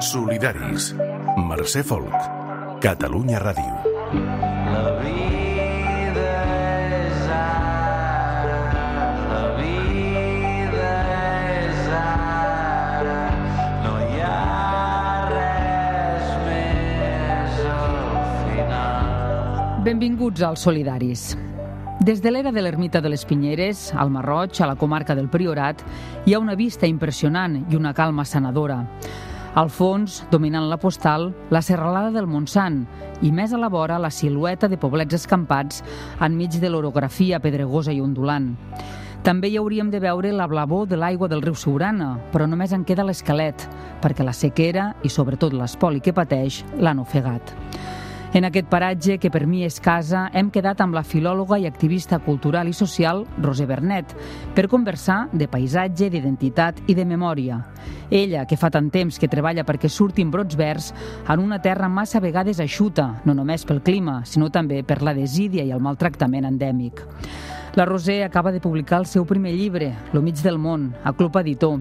Solidaris. Mercè Folk. Catalunya Ràdio. La vida és ara, la vida és ara, no hi ha res més al final. Benvinguts als Solidaris. Des de l'era de l'Ermita de les Pinyeres, al Marroig, a la comarca del Priorat, hi ha una vista impressionant i una calma sanadora. Al fons, dominant la postal, la serralada del Montsant i més a la vora la silueta de poblets escampats enmig de l'orografia pedregosa i ondulant. També hi hauríem de veure la blavor de l'aigua del riu Siurana, però només en queda l'esquelet, perquè la sequera i sobretot l'espoli que pateix l'han ofegat. En aquest paratge, que per mi és casa, hem quedat amb la filòloga i activista cultural i social Roser Bernet per conversar de paisatge, d'identitat i de memòria. Ella, que fa tant temps que treballa perquè surtin brots verds en una terra massa vegades eixuta, no només pel clima, sinó també per la desídia i el maltractament endèmic. La Roser acaba de publicar el seu primer llibre, Lo mig del món, a Club Editor,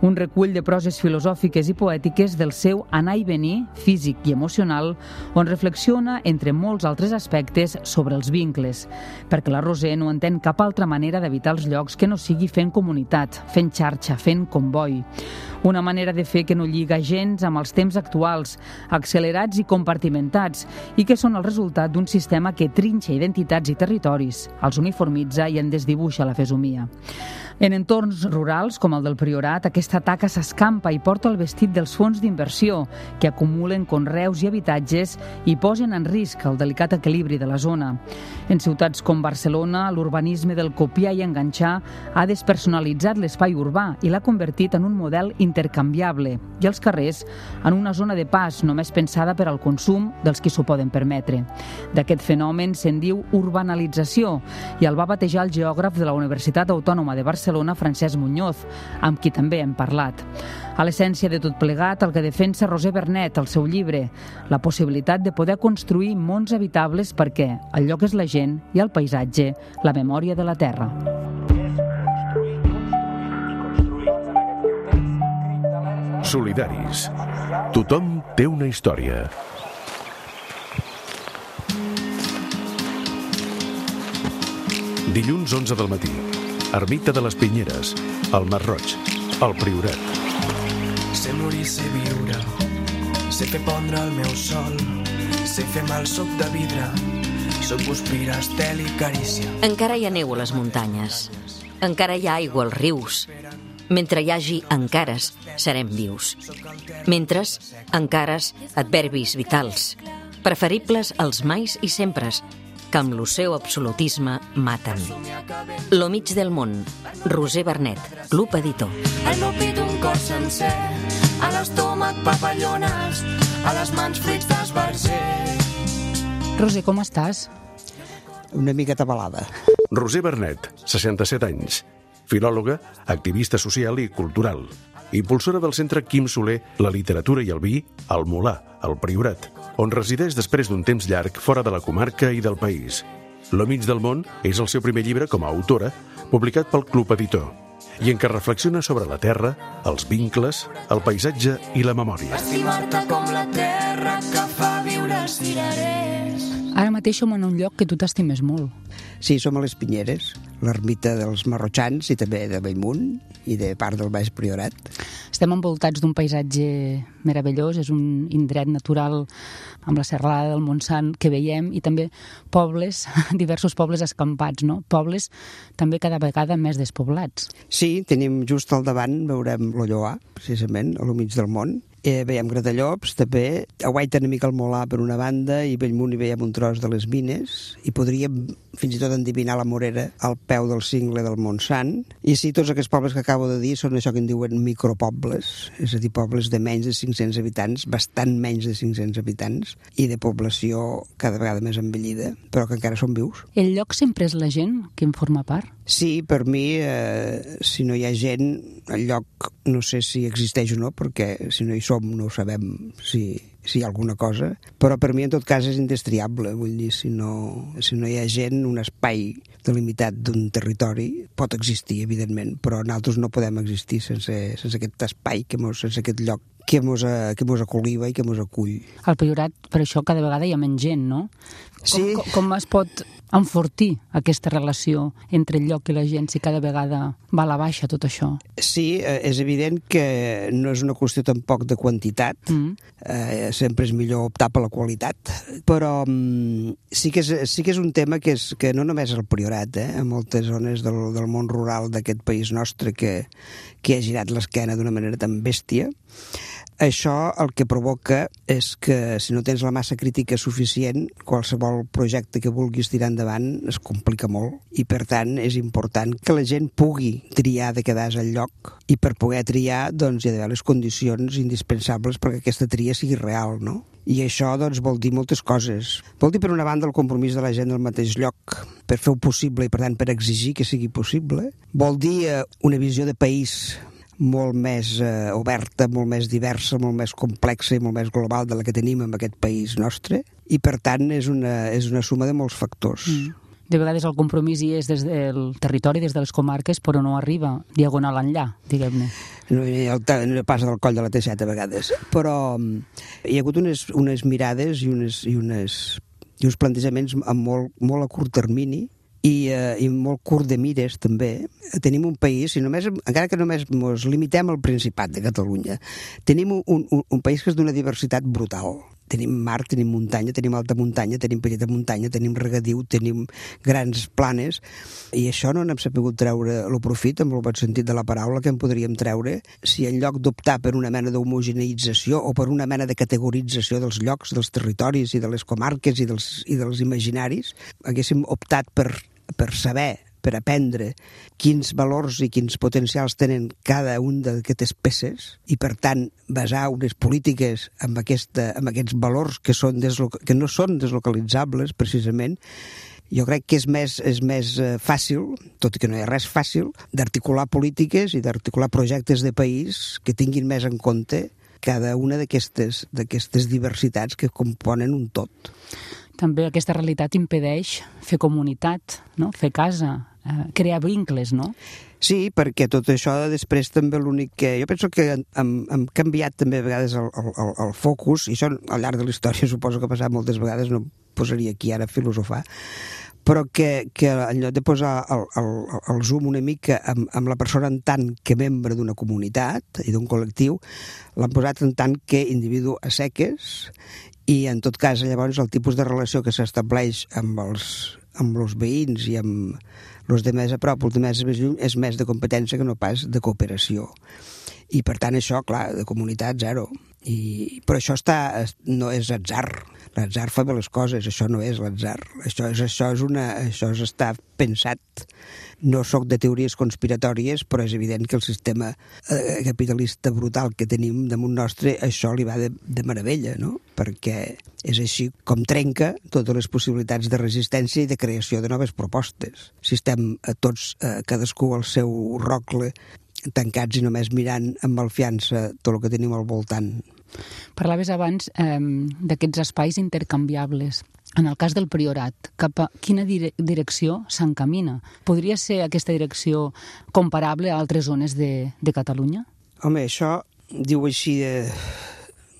un recull de proses filosòfiques i poètiques del seu anar i venir físic i emocional, on reflexiona, entre molts altres aspectes, sobre els vincles, perquè la Roser no entén cap altra manera d'evitar els llocs que no sigui fent comunitat, fent xarxa, fent comboi. Una manera de fer que no lliga gens amb els temps actuals, accelerats i compartimentats, i que són el resultat d'un sistema que trinxa identitats i territoris, els uniformitza i en desdibuixa la fesomia. En entorns rurals, com el del Priorat, aquesta taca s'escampa i porta el vestit dels fons d'inversió, que acumulen conreus i habitatges i posen en risc el delicat equilibri de la zona. En ciutats com Barcelona, l'urbanisme del copiar i enganxar ha despersonalitzat l'espai urbà i l'ha convertit en un model intercanviable i els carrers en una zona de pas només pensada per al consum dels qui s'ho poden permetre. D'aquest fenomen se'n diu urbanalització i el va batejar el geògraf de la Universitat Autònoma de Barcelona, Francesc Muñoz, amb qui també hem parlat. A l'essència de tot plegat, el que defensa Roser Bernet al seu llibre, la possibilitat de poder construir mons habitables perquè el lloc és la gent i el paisatge, la memòria de la terra. Solidaris. Tothom té una història. Dilluns 11 del matí. Ermita de les Pinyeres, al Marroig, al Priorat. Sé morir, sé viure, sé fer pondre el meu sol, sé fer mal suc de vidre, soc guspira, estel i carícia. Encara hi ha neu a les muntanyes, encara hi ha aigua als rius. Mentre hi hagi encares, serem vius. Mentre, encares, adverbis vitals, preferibles als mais i sempres, que amb el seu absolutisme maten. Lo mig del món, Roser Bernet, Club Editor. Al meu pit un cor sencer, a l'estómac papallones, a les mans fruits d'esbarzer. Roser, com estàs? Una mica atabalada. Roser Bernet, 67 anys. Filòloga, activista social i cultural. Impulsora del centre Quim Soler, la literatura i el vi, al Molar, al Priorat, on resideix després d'un temps llarg fora de la comarca i del país. Lo mig del món és el seu primer llibre com a autora, publicat pel Club Editor, i en què reflexiona sobre la terra, els vincles, el paisatge i la memòria. Estimar-te com la terra que fa viure cirerers. Ara mateix som en un lloc que tu t'estimes molt. Sí, som a les Pinyeres, l'ermita dels marrotxans i també de Bellmunt i de part del Baix Priorat. Estem envoltats d'un paisatge meravellós, és un indret natural amb la serralada del Montsant que veiem i també pobles, diversos pobles escampats, no? Pobles també cada vegada més despoblats. Sí, tenim just al davant, veurem l'Olloà, precisament, a lo mig del món. Veiem Gratallops, també, a Guaita una mica el Molar per una banda i a Bellmunt hi veiem un tros de les mines i podríem fins i tot endevinar la Morera al peu del cingle del Montsant. I sí, tots aquests pobles que acabo de dir són això que en diuen micropobles, és a dir, pobles de menys de 500 habitants, bastant menys de 500 habitants i de població cada vegada més envellida, però que encara són vius. El lloc sempre és la gent que en forma part? Sí, per mi, si no hi ha gent, el lloc no sé si existeix o no, perquè si no hi som no sabem si hi ha alguna cosa, però per mi en tot cas és indestriable, vull dir, si no hi ha gent, un espai delimitat d'un territori pot existir, evidentment, però nosaltres no podem existir sense aquest espai, sense aquest lloc que mos acoliva i que mos acull. Al Priorat, per això, cada vegada hi ha menys gent, no? Sí. Com es pot enfortir aquesta relació entre el lloc i la gent si cada vegada va a la baixa tot això? Sí, és evident que no és una qüestió tampoc de quantitat, sempre és millor optar per la qualitat, però sí que és un tema que no només al Priorat, a moltes zones del món rural d'aquest país nostre que ha girat l'esquena d'una manera tan bèstia. Això el que provoca és que si no tens la massa crítica suficient, qualsevol projecte que vulguis tirar endavant es complica molt i per tant és important que la gent pugui triar de quedar-se al lloc i per poder triar doncs hi ha d'haver les condicions indispensables perquè aquesta tria sigui real, no? I això doncs vol dir moltes coses. Vol dir per una banda el compromís de la gent del mateix lloc per fer-ho possible i per tant per exigir que sigui possible. Vol dir una visió de país molt més oberta, molt més diversa, molt més complexa i molt més global de la que tenim en aquest país nostre i per tant és una suma de molts factors. De vegades el compromís hi és des del territori, des de les comarques, però no arriba diagonal enllà, diguem-ne. No passa del coll de la T7 a vegades, però hi ha hagut unes mirades i uns plantejaments molt a curt termini i molt curt de mires també. Tenim un país, encara que només ens limitem al Principat de Catalunya, tenim un país que és d'una diversitat brutal. Tenim mar, tenim muntanya, tenim alta muntanya, tenim petita muntanya, tenim regadiu, tenim grans planes, i això no n'hem sabut treure el profit, amb el bon sentit de la paraula, que en podríem treure si en lloc d'optar per una mena d'homogeneïtzació o per una mena de categorització dels llocs, dels territoris i de les comarques i dels imaginaris, haguéssim optat per saber, per aprendre quins valors i quins potencials tenen cada un d'aquestes peces i, per tant, basar unes polítiques amb aquests valors que no són deslocalitzables, precisament. Jo crec que és més fàcil, tot i que no hi ha res fàcil, d'articular polítiques i d'articular projectes de país que tinguin més en compte cada una d'aquestes diversitats que componen un tot. També aquesta realitat impedeix fer comunitat, no? Fer casa, crear vincles, no? Sí, perquè tot això després també l'únic que... Jo penso que hem canviat també a vegades el focus, i això al llarg de la història suposo que ha passat moltes vegades, no posaria aquí ara a filosofar, però que en lloc de posar el zoom una mica amb la persona en tant que membre d'una comunitat i d'un col·lectiu, l'han posat en tant que individu a seques, i en tot cas llavors el tipus de relació que s'estableix amb els veïns i amb els de més a prop, els de més lluny, és més de competència que no pas de cooperació. I per tant això, clar, de comunitat zero. Però això no és atzar. L'atzar fa bé les coses, això no és l'atzar. Això està pensat. No soc de teories conspiratòries, però és evident que el sistema capitalista brutal que tenim damunt nostre, això li va de meravella, no? Perquè és així com trenca totes les possibilitats de resistència i de creació de noves propostes. Si estem tots, cadascú al seu rocle, tancats i només mirant amb malfiança tot el que tenim al voltant. Parlaves abans d'aquests espais intercanviables. En el cas del Priorat, cap a quina direcció s'encamina? Podria ser aquesta direcció comparable a altres zones de Catalunya? Home, això diu així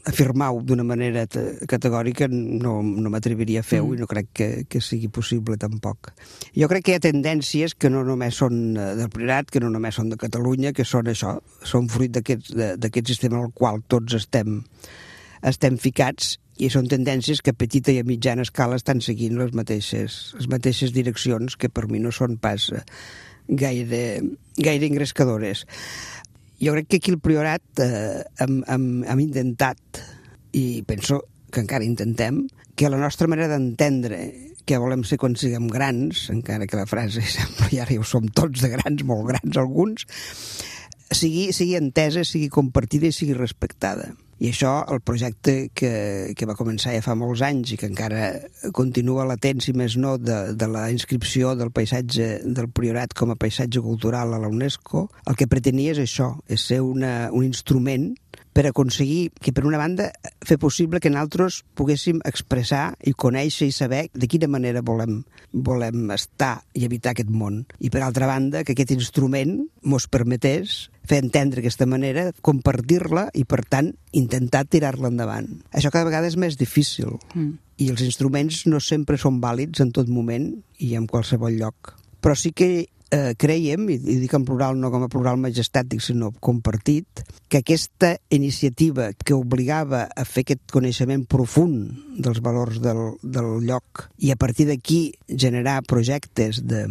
afirmar-ho d'una manera categòrica no m'atreviria a fer-ho i no crec que sigui possible tampoc. Jo crec que hi ha tendències que no només són del Priorat, que no només són de Catalunya, que són això, són fruit d'aquest sistema al qual tots estem ficats, i són tendències que a petita i a mitjana escala estan seguint les mateixes direccions que per mi no són pas gaire engrescadores. Jo crec que aquí el Priorat hem intentat, i penso que encara intentem, que la nostra manera d'entendre què volem ser quan siguem grans, encara que la frase sembla ja ho som tots de grans, molt grans alguns, sigui entesa, sigui compartida i sigui respectada. I això, el projecte que va començar ja fa molts anys i que encara continua latent, si més no, de la inscripció del paisatge del Priorat com a paisatge cultural a la UNESCO, el que pretenia és això, és ser un instrument per aconseguir que, per una banda, fer possible que nosaltres poguéssim expressar i conèixer i saber de quina manera volem estar i habitar aquest món. I, per altra banda, que aquest instrument mos permetés fer entendre aquesta manera, compartir-la i, per tant, intentar tirar-la endavant. Això cada vegada és més difícil. I els instruments no sempre són vàlids en tot moment i en qualsevol lloc. Però sí que creiem, i dic en plural no com a plural majestàtic, sinó compartit, que aquesta iniciativa que obligava a fer aquest coneixement profund dels valors del lloc i a partir d'aquí generar projectes de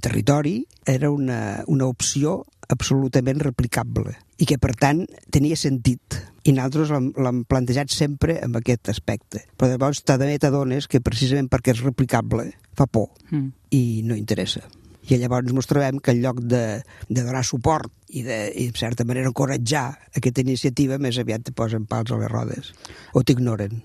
territori era una opció absolutament replicable i que, per tant, tenia sentit. I nosaltres l'hem plantejat sempre amb aquest aspecte. Però llavors també t'adones que precisament perquè és replicable fa por i no interessa. I llavors ens trobem que en lloc de donar suport i de certa manera encoratjar aquesta iniciativa, més aviat te posen pals a les rodes o t'ignoren.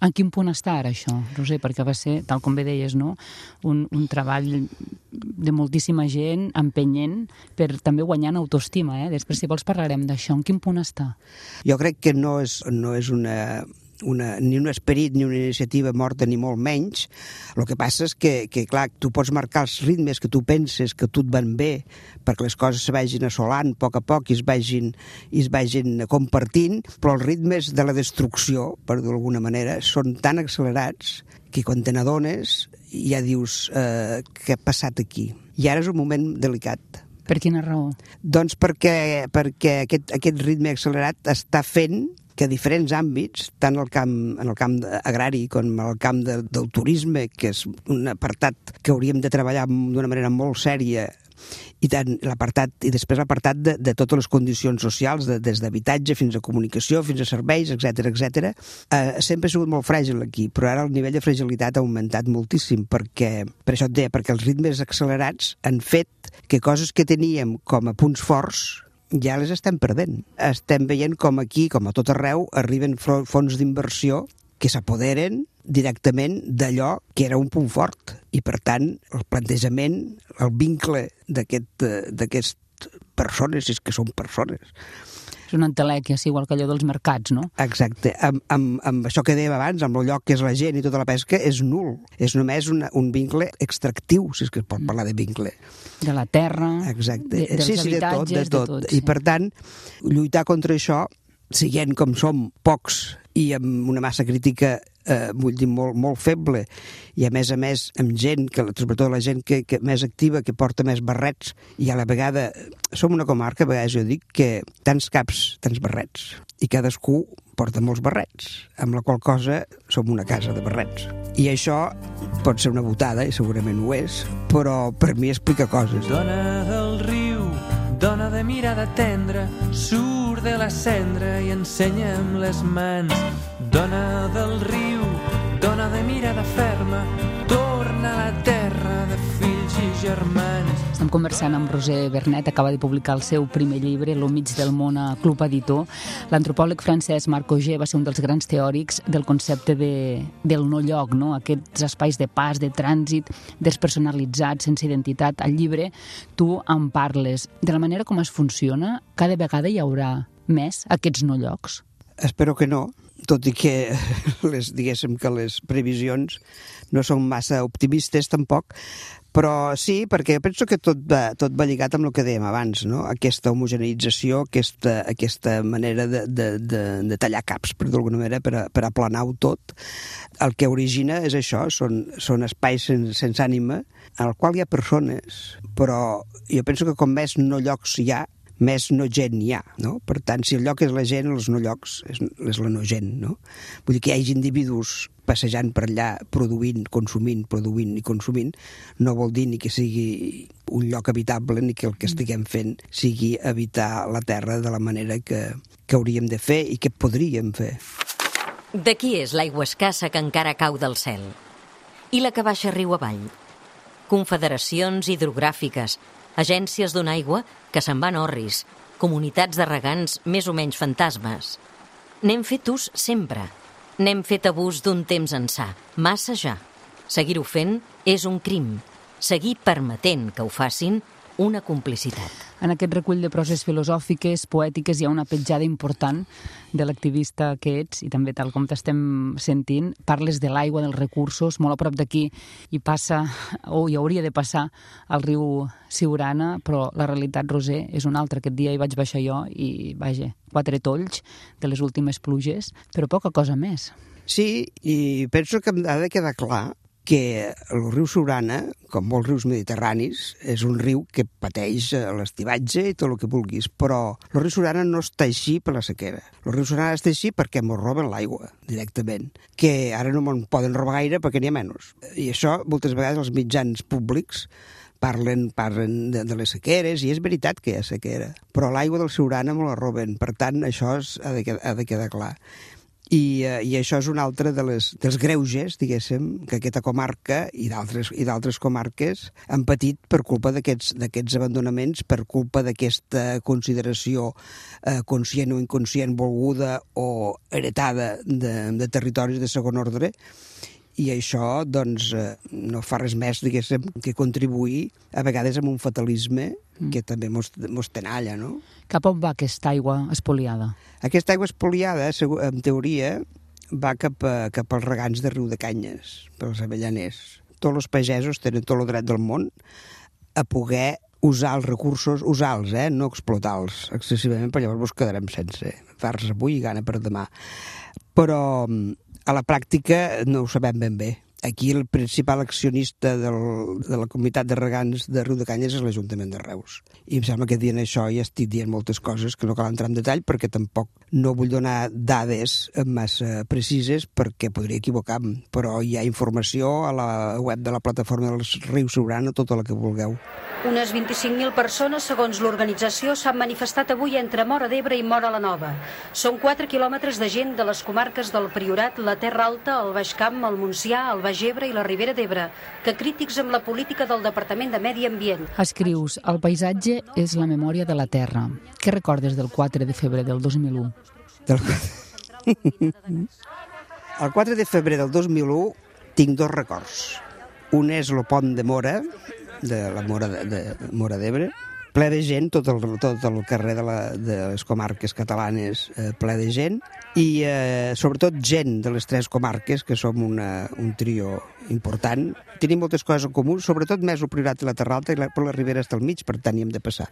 En quin punt està ara això, Roser? Perquè va ser, tal com bé deies, no? un treball de moltíssima gent empenyent per també guanyar en autoestima. Després, si vols, parlarem d'això. En quin punt està? Jo crec que no és ni un esperit ni una iniciativa morta ni molt menys. El que passa és que clar, tu pots marcar els ritmes que tu penses que tu et van bé perquè les coses se vagin assolant a poc i es vagin compartint, però els ritmes de la destrucció, per dir-ho d'alguna manera, són tan accelerats que quan te n'adones ja dius què ha passat aquí? I ara és un moment delicat. Per quina raó? Doncs perquè aquest ritme accelerat està fent que diferents àmbits, tant en el camp agrari com en el camp del turisme, que és un apartat que hauríem de treballar d'una manera molt sèria, i després l'apartat de totes les condicions socials, des d'habitatge fins a comunicació, fins a serveis, etc. Sempre ha sigut molt fràgil aquí, però ara el nivell de fragilitat ha augmentat moltíssim, per això et deia, perquè els ritmes accelerats han fet que coses que teníem com a punts forts ja les estem perdent. Estem veient com aquí, com a tot arreu, arriben fons d'inversió que s'apoderen directament d'allò que era un punt fort. I, per tant, el plantejament, el vincle d'aquestes persones, és que són persones. És una entelèquia, igual que allò dels mercats, no? Exacte. Amb això que dèiem abans, amb el lloc que és la gent i tota la pesca, és nul. És només un vincle extractiu, si és que es pot parlar de vincle. De la terra, exacte. Dels habitatges, de tot. I, per tant, lluitar contra això, siguent com som pocs i amb una massa crítica vull dir, molt feble, i a més amb gent, sobretot la gent que més activa, que porta més barrets, i a la vegada som una comarca, a vegades jo dic que tants caps, tants barrets, i cadascú porta molts barrets, amb la qual cosa som una casa de barrets. I això pot ser una botada, i segurament ho és, però per mi explica coses. Dona del riu, dona de mirada tendra, surt de la cendra i ensenya'm les mans. Dona del riu, dona de mirada ferma, torna a la terra de fills i germans. Estem conversant amb Roser Vernet, acaba de publicar el seu primer llibre, Lo mig del món, a Club Editor. L'antropòleg francès Marc Auger va ser un dels grans teòrics del concepte del no-lloc, no? Aquests espais de pas, de trànsit, despersonalitzats, sense identitat. Al llibre tu en parles. De la manera com es funciona, cada vegada hi haurà més aquests no-llocs? Espero que no, tot i que diguéssim que les previsions no són massa optimistes tampoc, però sí, perquè penso que tot va lligat amb el que dèiem abans, no? Aquesta homogeneïtzació, aquesta manera de tallar caps, per d'alguna manera, per aplanar-ho tot. El que origina és això, són espais sense ànima, en el qual hi ha persones, però jo penso que com més no llocs hi ha, més no gent hi ha, no? Per tant, si el lloc és la gent, els no llocs és la no gent, no? Vull dir que hi hagi individus passejant per allà, produint i consumint, no vol dir ni que sigui un lloc habitable ni que el que estiguem fent sigui habitar la terra de la manera que hauríem de fer i que podríem fer. De qui és l'aigua escassa que encara cau del cel? I la que baixa riu avall? Confederacions hidrogràfiques, agències d'una aigua que se'n van orris, comunitats de regants més o menys fantasmes. N'hem fet ús sempre. N'hem fet abús d'un temps ençà, massa ja. Seguir-ho fent és un crim. Seguir permetent que ho facin una complicitat. En aquest recull de proses filosòfiques, poètiques, hi ha una petjada important de l'activista que ets, i també tal com t'estem sentint, parles de l'aigua, dels recursos, molt a prop d'aquí hi passa, o hi hauria de passar, el riu Siurana, però la realitat, Roser, és una altra. Aquest dia hi vaig baixar jo i, vaja, 4 tolls de les últimes pluges, però poca cosa més. Sí, i penso que ha de quedar clar que el riu Siurana, com molts rius mediterranis, és un riu que pateix l'estivatge i tot el que vulguis, però el riu Siurana no està així per la sequera. El riu Siurana està així perquè ens roben l'aigua, directament, que ara no me'n poden robar gaire perquè n'hi ha menys. I això, moltes vegades, els mitjans públics parlen de les sequeres, i és veritat que hi ha sequera, però l'aigua del Siurana me la roben, per tant, això ha de quedar clar. I això és un altre dels greuges, diguéssim, que aquesta comarca i d'altres comarques han patit per culpa d'aquests abandonaments, per culpa d'aquesta consideració conscient o inconscient, volguda o heretada de territoris de segon ordre. I això, doncs, no fa res més, diguéssim, que contribuir a vegades amb un fatalisme que també mos tenalla, no? Cap on va aquesta aigua espoliada? Aquesta aigua espoliada, en teoria, va cap als regants de Riu de Canyes, pels avellaners. Tots els pagesos tenen tot el dret del món a poder usar els recursos, usar-los, no explotar-los excessivament, perquè llavors ens quedarem sense fars avui i gana per demà. Però a la pràctica no ho sabem ben bé. Aquí el principal accionista de la comunitat de regants de Riu de Canyes és l'Ajuntament de Reus. I em sembla que dient això ja estic dient moltes coses que no cal entrar en detall perquè tampoc no vull donar dades massa precises perquè podria equivocar-me, però hi ha informació a la web de la plataforma del riu Siurana, tota la que vulgueu. Unes 25.000 persones, segons l'organització, s'han manifestat avui entre Móra d'Ebre i Móra la Nova. Són 4 quilòmetres de gent de les comarques del Priorat, la Terra Alta, el Baix Camp, el Montsià, el Baix Ebre i la Ribera d'Ebre, que crítics amb la política del Departament de Medi Ambient. Escrius, el paisatge és la memòria de la terra. Què recordes del 4 de febrer del 2001? El 4 de febrer del 2001 tinc 2 records. Un és el pont de Móra, de la Móra d'Ebre, ple de gent, tot el carrer de les comarques catalanes ple de gent, i sobretot gent de les 3 comarques, que som un trio important. Tenim moltes coses en comú, sobretot més el Priorat i la Terra Alta, però la Ribera està al mig, per tant hi hem de passar.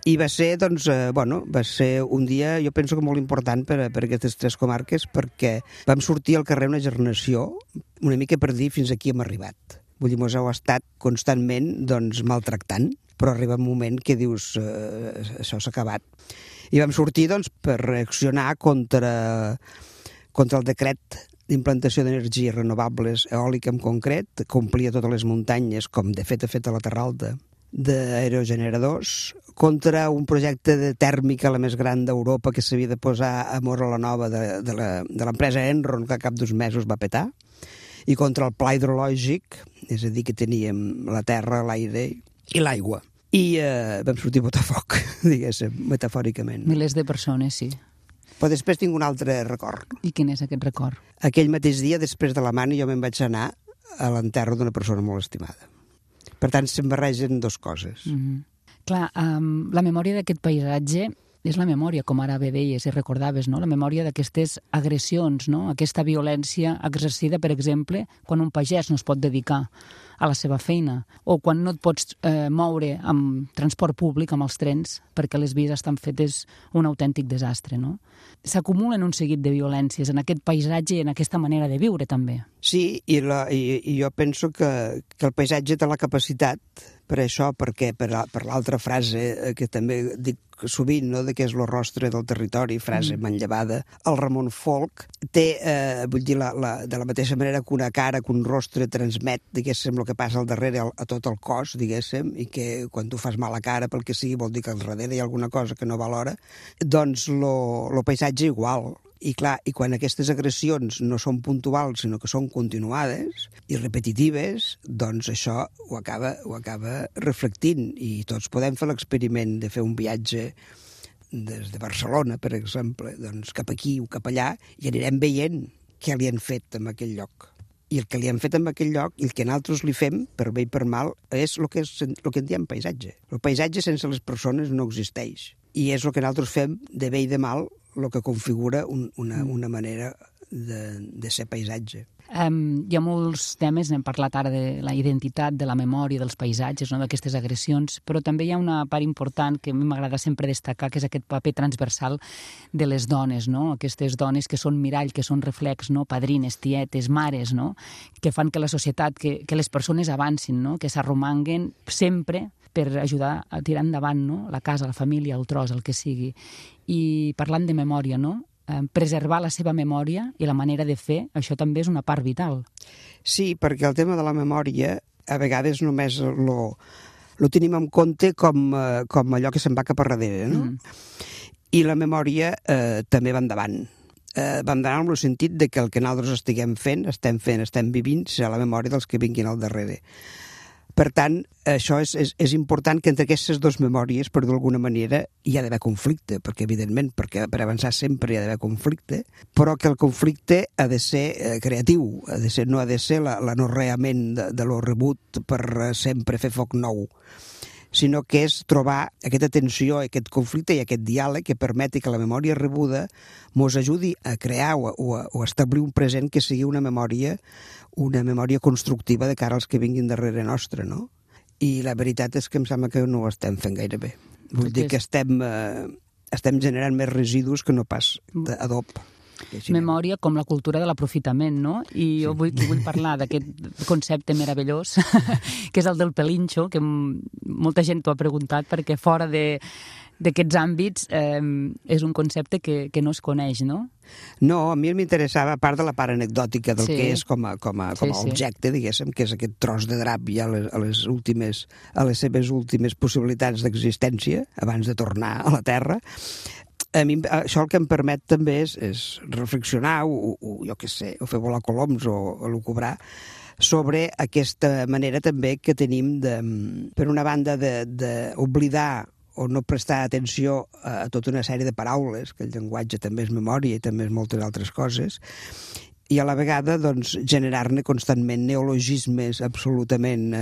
I va ser, doncs, va ser un dia, jo penso que molt important per aquestes 3 comarques, perquè vam sortir al carrer una generació, una mica per dir fins aquí hem arribat. Vull dir, mos heu estat constantment, doncs, maltractant, però arriba un moment que dius, això s'ha acabat. I vam sortir, doncs, per reaccionar contra el decret d'implantació d'energies renovables, eòlica en concret, que omplia totes les muntanyes, com de fet ha fet a la Terra Alta, d'aerogeneradors, contra un projecte de tèrmica, la més gran d'Europa, que s'havia de posar a Móra la Nova de l'empresa Enron, que al cap d'uns mesos va petar, i contra el pla hidrològic, és a dir, que teníem la terra, l'aire i l'aigua. I vam sortir a botar foc, diguéssim, metafòricament. Milers de persones, sí. Però després tinc un altre record. I quin és aquest record? Aquell mateix dia, després de la mani, jo me'n vaig anar a l'enterro d'una persona molt estimada. Per tant, se'm barregen 2 coses. Clar, la memòria d'aquest paisatge és la memòria, com ara bé deies i recordaves, no? La memòria d'aquestes agressions, no? Aquesta violència exercida, per exemple, quan un pagès no es pot dedicar a la seva feina, o quan no et pots moure amb transport públic, amb els trens, perquè les vies estan fetes un autèntic desastre, no? S'acumulen un seguit de violències en aquest paisatge i en aquesta manera de viure, també. Sí, i jo penso que el paisatge té la capacitat per això, perquè per l'altra frase que també dic sovint, no?, que és el rostre del territori, frase manllevada, el Ramon Folch té, vull dir, de la mateixa manera que una cara, que un rostre transmet, diguéssim, el que passa al darrere a tot el cos, diguéssim, i que quan tu fas mala cara pel que sigui vol dir que al darrere hi ha alguna cosa que no valora, doncs el paisatge igual. I clar, i quan aquestes agressions no són puntuals, sinó que són continuades i repetitives, doncs això ho acaba reflectint. I tots podem fer l'experiment de fer un viatge des de Barcelona, per exemple, doncs cap aquí o cap allà, i anirem veient què li han fet en aquell lloc. I el que li hem fet en aquell lloc i el que nosaltres li fem, per bé i per mal, és el que en diem paisatge. El paisatge sense les persones no existeix. I és el que nosaltres fem de bé i de mal, el que configura una manera de ser paisatge. Hi ha molts temes, n'hem parlat ara de la identitat, de la memòria, dels paisatges, no? D'aquestes agressions, però també hi ha una part important que a mi m'agrada sempre destacar, que és aquest paper transversal de les dones, no? Aquestes dones que són mirall, que són reflex, no? Padrines, tietes, mares, no? Que fan que la societat, que les persones avancin, no? Que s'arromanguen sempre per ajudar a tirar endavant, no? La casa, la família, el tros, el que sigui. I parlant de memòria, no? Preservar la seva memòria i la manera de fer, això també és una part vital. Sí, perquè el tema de la memòria a vegades només lo tenim en compte com allò que se'n va cap a darrere, no? I la memòria també va endavant. Va endavant en el sentit de que el que nosaltres estem vivint, serà la memòria dels que vinguin al darrere. Per tant, això és important que entre aquestes dues memòries, per d'alguna manera, hi ha d'haver conflicte, perquè evidentment, perquè per avançar sempre hi ha d'haver conflicte, però que el conflicte ha de ser creatiu, no ha de ser l'anorreament de lo rebut per sempre fer foc nou, sinó que és trobar aquesta tensió, aquest conflicte i aquest diàleg que permeti que la memòria rebuda mos ajudi a crear o a establir un present que sigui una memòria constructiva de cara als que vinguin darrere nostre, no? I la veritat és que em sembla que no ho estem fent gaire bé. Vull dir que estem generant més residus que no pas d'adob. Memòria com la cultura de l'aprofitament, no? I jo vull parlar d'aquest concepte meravellós, que és el del pelinxo, que molta gent t'ho ha preguntat, perquè fora d'aquests àmbits és un concepte que no es coneix, no? No, a mi m'interessava, a part de la part anecdòtica del que és com a objecte, diguéssim, que és aquest tros de drap ja a les seves últimes possibilitats d'existència, abans de tornar a la Terra. A mi això el que em permet també és reflexionar jo què sé, o fer volar coloms o lucubrar sobre aquesta manera també que tenim per una banda d'oblidar o no prestar atenció a tota una sèrie de paraules, que el llenguatge també és memòria i també és moltes altres coses, i a la vegada doncs, generar-ne constantment neologismes absolutament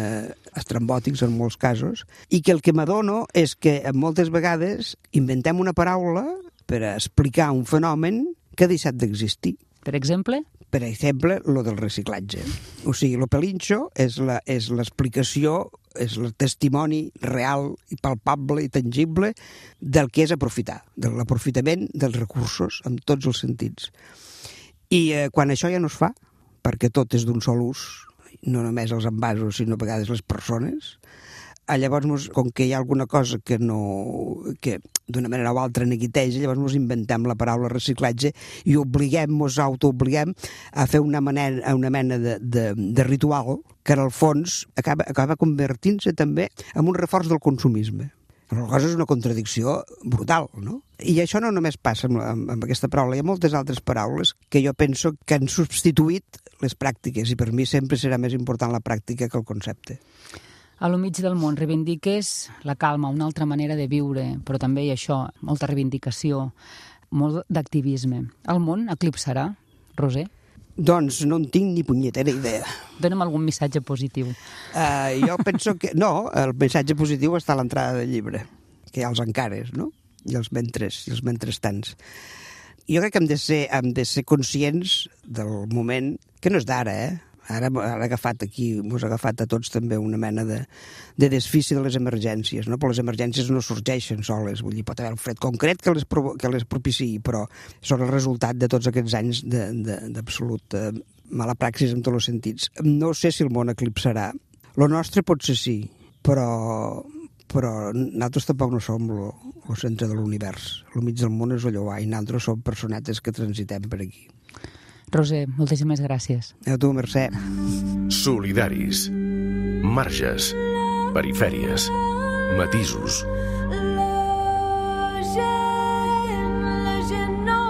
estrambòtics en molts casos, i que el que m'adono és que moltes vegades inventem una paraula per explicar un fenomen que ha deixat d'existir. Per exemple? Per exemple, lo del reciclatge. O sigui, lo pelinxo és l'explicació, és el testimoni real i palpable i tangible del que és aprofitar, de l'aprofitament dels recursos en tots els sentits. I quan això ja no es fa, perquè tot és d'un sol ús, no només els envasos, sinó a vegades les persones, llavors, com que hi ha alguna cosa que d'una manera o altra neguiteja, llavors ens inventem la paraula reciclatge i ens autoobliguem a fer una mena de ritual que en el fons acaba convertint-se també en un reforç del consumisme. La cosa és una contradicció brutal, no? I això no només passa amb aquesta paraula, hi ha moltes altres paraules que jo penso que han substituït les pràctiques i per mi sempre serà més important la pràctica que el concepte. A lo mig del món reivindiques la calma, una altra manera de viure, però també hi ha això, molta reivindicació, molt d'activisme. El món eclipsarà, Roser? Doncs no en tinc ni punyetera idea. Dóna'm algun missatge positiu. Jo penso que... No, el missatge positiu està a l'entrada del llibre, que hi ha els encares, no? I els mentresstants. Jo crec que hem de ser conscients del moment, que no és d'ara, Ara ha agafat aquí, mos ha agafat a tots també una mena de desfici de les emergències, no? Però les emergències no sorgeixen soles, vull dir, pot haver un fred concret que les propiciï, però són el resultat de tots aquests anys d'absolut mala praxis en tots els sentits. No sé si el món eclipsarà. Lo nostre potser sí, però nosaltres tampoc no som el centre de l'univers. El mig del món és allò, i nosaltres som personetes que transitem per aquí. Roser, moltíssimes gràcies. A tu, Mercè. Solidaris. Marges. Perifèries. Matisos. La gent no.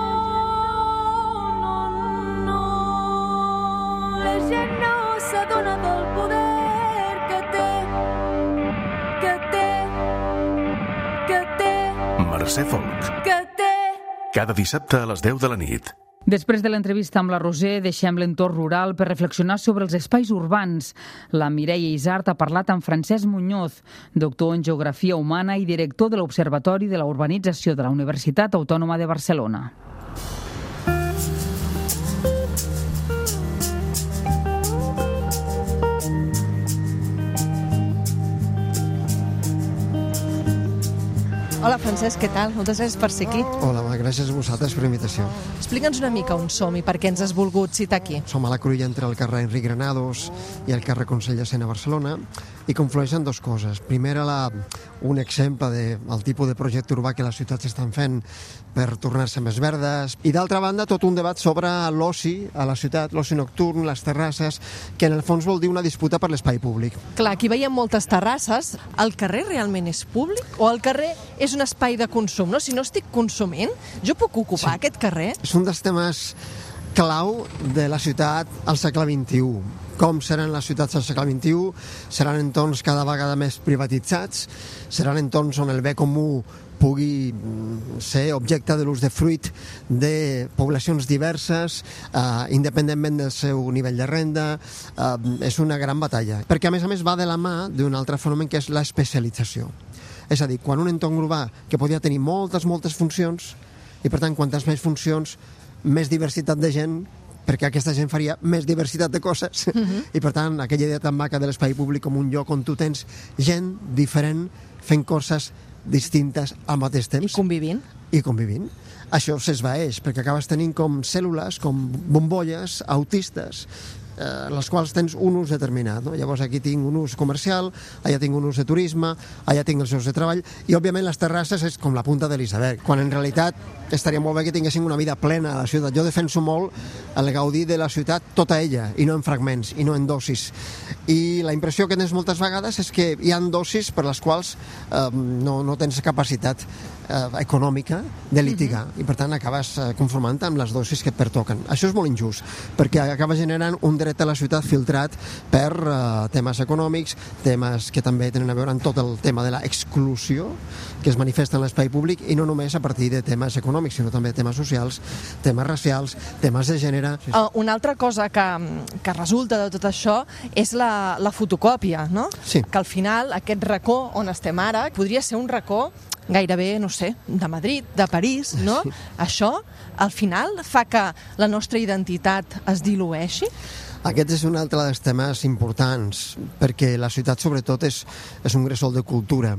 La gent no s'adona del poder que té. Mercè Folk. Que té. Cada dissabte a les 10 de la nit. Després de l'entrevista amb la Roser, deixem l'entorn rural per reflexionar sobre els espais urbans. La Mireia Isart ha parlat amb Francesc Muñoz, doctor en Geografia Humana i director de l'Observatori de la Urbanització de la Universitat Autònoma de Barcelona. Hola, Francesc, què tal? Moltes gràcies per ser aquí. Hola, gràcies a vosaltres per l'invitació. Explica'ns una mica on som i per què ens has volgut citar aquí. Som a la cruïlla entre el carrer Enric Granados i el carrer Consell de Cent a Barcelona i conflueixen dues coses. Primera, un exemple del tipus de projecte urbà que les ciutats estan fent per tornar-se més verdes, i d'altra banda tot un debat sobre l'oci a la ciutat, l'oci nocturn, les terrasses, que en el fons vol dir una disputa per l'espai públic. Clar, aquí veiem moltes terrasses. El carrer realment és públic o el carrer és un espai de consum? No? Si no estic consumint, jo puc ocupar aquest carrer? És un dels temes clau de la ciutat al segle XXI. Com seran les ciutats al segle XXI? Seran entorns cada vegada més privatitzats, seran entorns on el bé comú pugui ser objecte de l'usdefruit de poblacions diverses, independentment del seu nivell de renda. És una gran batalla, perquè a més va de la mà d'un altre fenomen que és l'especialització. És a dir, quan un entorn urbà que podia tenir moltes funcions, i per tant, quantes més funcions, més diversitat de gent, perquè aquesta gent faria més diversitat de coses, i per tant, aquella idea tan maca de l'espai públic com un lloc on tu tens gent diferent fent coses distintes al mateix temps. I convivint. Això s'esvaeix, perquè acabes tenint com cèl·lules, com bombolles autistes, les quals tens un ús determinat. No? Llavors aquí tinc un ús comercial, allà tinc un ús de turisme, allà tinc els seus de treball, i òbviament les terrasses és com la punta de l'iceberg, quan en realitat estaria molt bé que tinguessin una vida plena a la ciutat. Jo defenso molt el gaudir de la ciutat tota ella, i no en fragments, i no en dosis. I la impressió que tens moltes vegades és que hi ha dosis per les quals no tens capacitat econòmica de litigar, i per tant acabes conformant-te amb les dosis que et pertoquen. Això és molt injust, perquè acaba generant un dret a la ciutat filtrat per temes econòmics, temes que també tenen a veure amb tot el tema de l'exclusió que es manifesta en l'espai públic, i no només a partir de temes econòmics, sinó també temes socials, temes racials, temes de gènere. Una altra cosa que resulta de tot això és la fotocòpia, no? Sí. Que al final aquest racó on estem ara podria ser un racó gairebé, no sé, de Madrid, de París, no? Sí. Això, al final, fa que la nostra identitat es dilueixi? Aquest és un altre dels temes importants, perquè la ciutat, sobretot, és un gresol de cultura,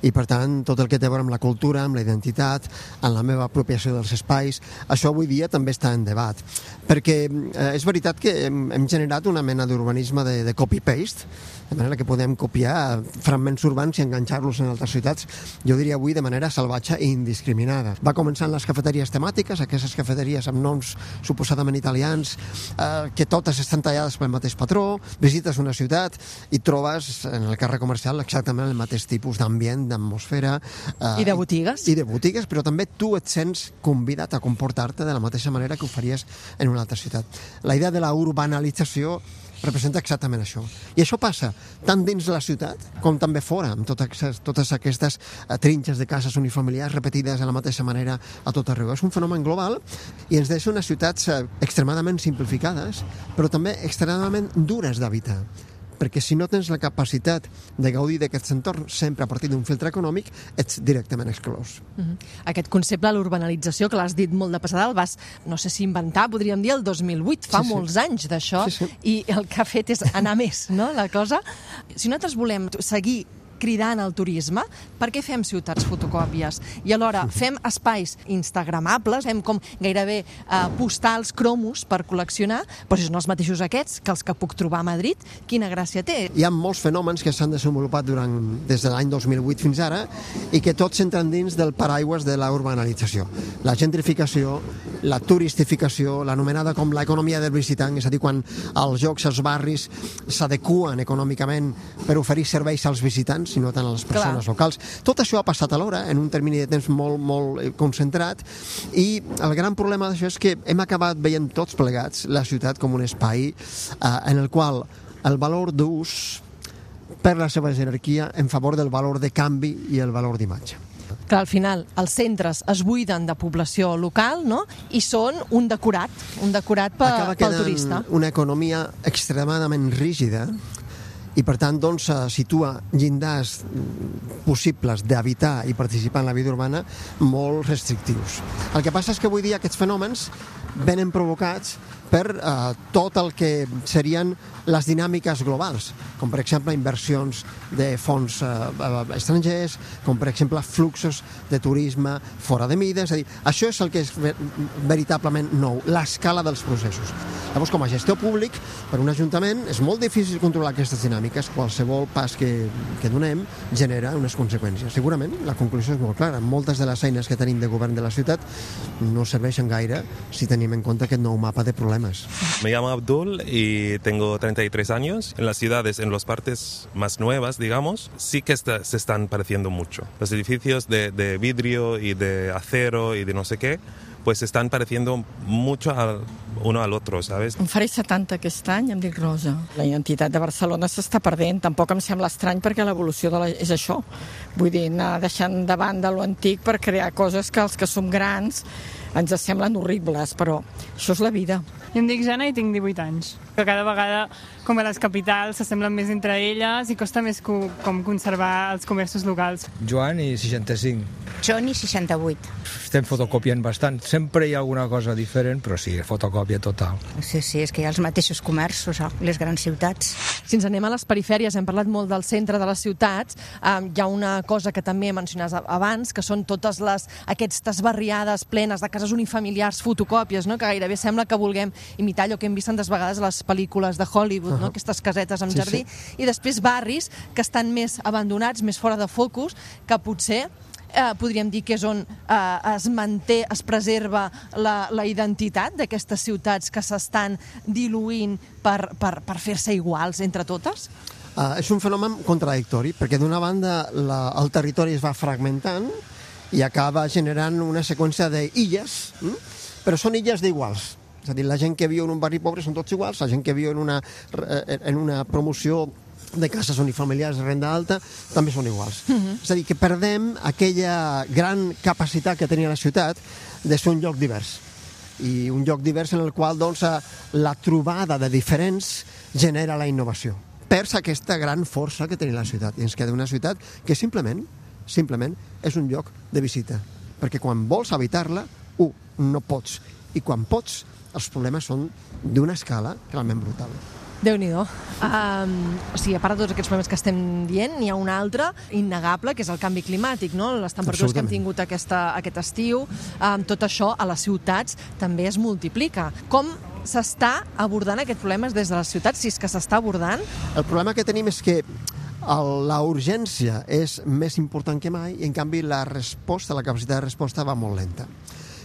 i per tant tot el que té a veure amb la cultura, amb la identitat, amb la meva apropiació dels espais, això avui dia també està en debat, perquè és veritat que hem generat una mena d'urbanisme de copy-paste, de manera que podem copiar fragments urbans i enganxar-los en altres ciutats, jo diria avui de manera salvatge i indiscriminada. Va començar en les cafeteries temàtiques, aquestes cafeteries amb noms suposadament italians, que totes estan tallades pel mateix patró, visites una ciutat i trobes en el carrer comercial exactament el mateix tipus d'ambient, d'atmosfera. I de botigues. I de botigues, però també tu et sents convidat a comportar-te de la mateixa manera que ho faries en una altra ciutat. La idea de la urbanalització representa exactament això. I això passa tant dins la ciutat com també fora, amb totes aquestes trinxes de cases unifamiliars repetides de la mateixa manera a tot arreu. És un fenomen global i ens deixa unes ciutats extremadament simplificades, però també extremadament dures d'habitar. Perquè si no tens la capacitat de gaudir d'aquest entorn sempre a partir d'un filtre econòmic, ets directament exclòs. Aquest concepte de l'urbanalització, que l'has dit molt de passada, el vas, no sé si inventar, podríem dir, el 2008, fa molts anys d'això, i el que ha fet és anar més, no?, la cosa. Si nosaltres volem seguir cridant al turisme, per què fem ciutats fotocòpies? I alhora fem espais instagramables, fem com gairebé postals, cromos per col·leccionar, però si són els mateixos aquests que els que puc trobar a Madrid, quina gràcia té? Hi ha molts fenòmens que s'han desenvolupat des de l'any 2008 fins ara i que tots entren dins del paraigües de la urbanalització. La gentrificació, la turistificació, l'anomenada com l'economia del visitant, és a dir, quan els llocs, els barris s'adequen econòmicament per oferir serveis als visitants, sinó tant a les persones locals. Tot això ha passat alhora, en un termini de temps molt concentrat, i el gran problema d'això és que hem acabat veient tots plegats la ciutat com un espai en el qual el valor d'ús perd la seva jerarquia en favor del valor de canvi i el valor d'imatge. Que al final els centres es buiden de població local, no? I són un decorat pel turista. Una economia extremadament rígida i per tant doncs, situa llindars possibles d'habitar i participar en la vida urbana molt restrictius. El que passa és que avui dia aquests fenòmens venen provocats per tot el que serien les dinàmiques globals, com per exemple inversions de fons estrangers, com per exemple fluxos de turisme fora de mida, és a dir, això és el que és veritablement nou, l'escala dels processos. Llavors, com a gestor públic, per un ajuntament és molt difícil controlar aquestes dinàmiques, qualsevol pas que donem genera unes conseqüències. Segurament la conclusió és molt clara, moltes de les eines que tenim de govern de la ciutat no serveixen gaire si tenim en compte aquest nou mapa de problemes. Me llamo Abdul y tengo 33 años. En las ciudades, en las partes más nuevas, digamos, sí que se están pareciendo mucho. Los edificios de vidrio y de acero y de no sé qué, pues se están pareciendo mucho uno al otro, ¿sabes? Em faré 70 aquest any, em dic Rosa. La identitat de Barcelona s'està perdent. Tampoc em sembla estrany perquè l'evolució és això. Vull dir, anar deixant de banda lo antic per crear coses que els que som grans ens semblen horribles, però això és la vida. Jo em dic Jana i tinc 18 anys. Que cada vegada, com a les capitals, s'assemblen més entre elles i costa més com conservar els comerços locals. Joan i 65. John i 68. Estem fotocopiant bastant. Sempre hi ha alguna cosa diferent, però sí, fotocòpia total. Sí, és que hi ha els mateixos comerços, les grans ciutats. Si ens anem a les perifèries, hem parlat molt del centre de les ciutats, hi ha una cosa que també mencionaves abans, que són totes aquestes barriades plenes de cases unifamiliars, fotocòpies, no? Que gairebé sembla que vulguem imitar allò que hem vist tantes vegades a les pel·lícules de Hollywood, no? Aquestes casetes amb jardí, i després barris que estan més abandonats, més fora de focus, que potser podríem dir que és on es manté, es preserva la identitat d'aquestes ciutats que s'estan diluint per fer-se iguals entre totes? És un fenomen contradictori, perquè d'una banda el territori es va fragmentant i acaba generant una seqüència d'illes, però són illes d'iguals. És a dir, la gent que viu en un barri pobre són tots iguals, la gent que viu en una promoció de cases unifamiliars de renda alta també són iguals. És a dir, que perdem aquella gran capacitat que tenia la ciutat de ser un lloc divers. I un lloc divers en el qual doncs, la trobada de diferents genera la innovació. Perds aquesta gran força que tenia la ciutat. I ens queda una ciutat que simplement és un lloc de visita. Perquè quan vols habitar-la, no pots. I quan pots, els problemes són d'una escala realment brutal. Déu-n'hi-do. O sigui, a part de tots aquests problemes que estem dient, n'hi ha un altre innegable, que és el canvi climàtic, no? Les temperatures que hem tingut aquest estiu, tot això a les ciutats també es multiplica. Com s'està abordant aquest problema des de les ciutats, si és que s'està abordant? El problema que tenim és que la urgència és més important que mai i, en canvi, la capacitat de resposta va molt lenta.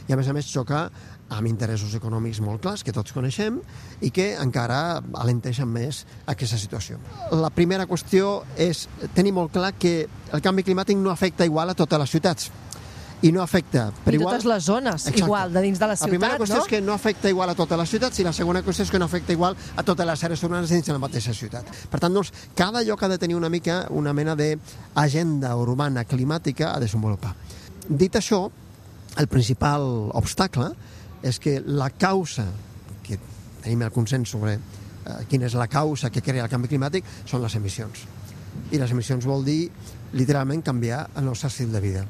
I, a més, xoca amb interessos econòmics molt clars, que tots coneixem, i que encara alenteixen més aquesta situació. La primera qüestió és tenir molt clar que el canvi climàtic no afecta igual a totes les ciutats. I no afecta per igual... totes les zones, igual, de dins de la ciutat, no? La primera qüestió és que no afecta igual a totes les ciutats i la segona qüestió és que no afecta igual a totes les àrees urbanes dins de la mateixa ciutat. Per tant, doncs, cada lloc ha de tenir una mena d'agenda urbana climàtica a desenvolupar. Dit això, el principal obstacle és que la causa, que tenim el consens sobre quina és la causa que crea el canvi climàtic, són les emissions. I les emissions vol dir, literalment, canviar el nostre estil de vida.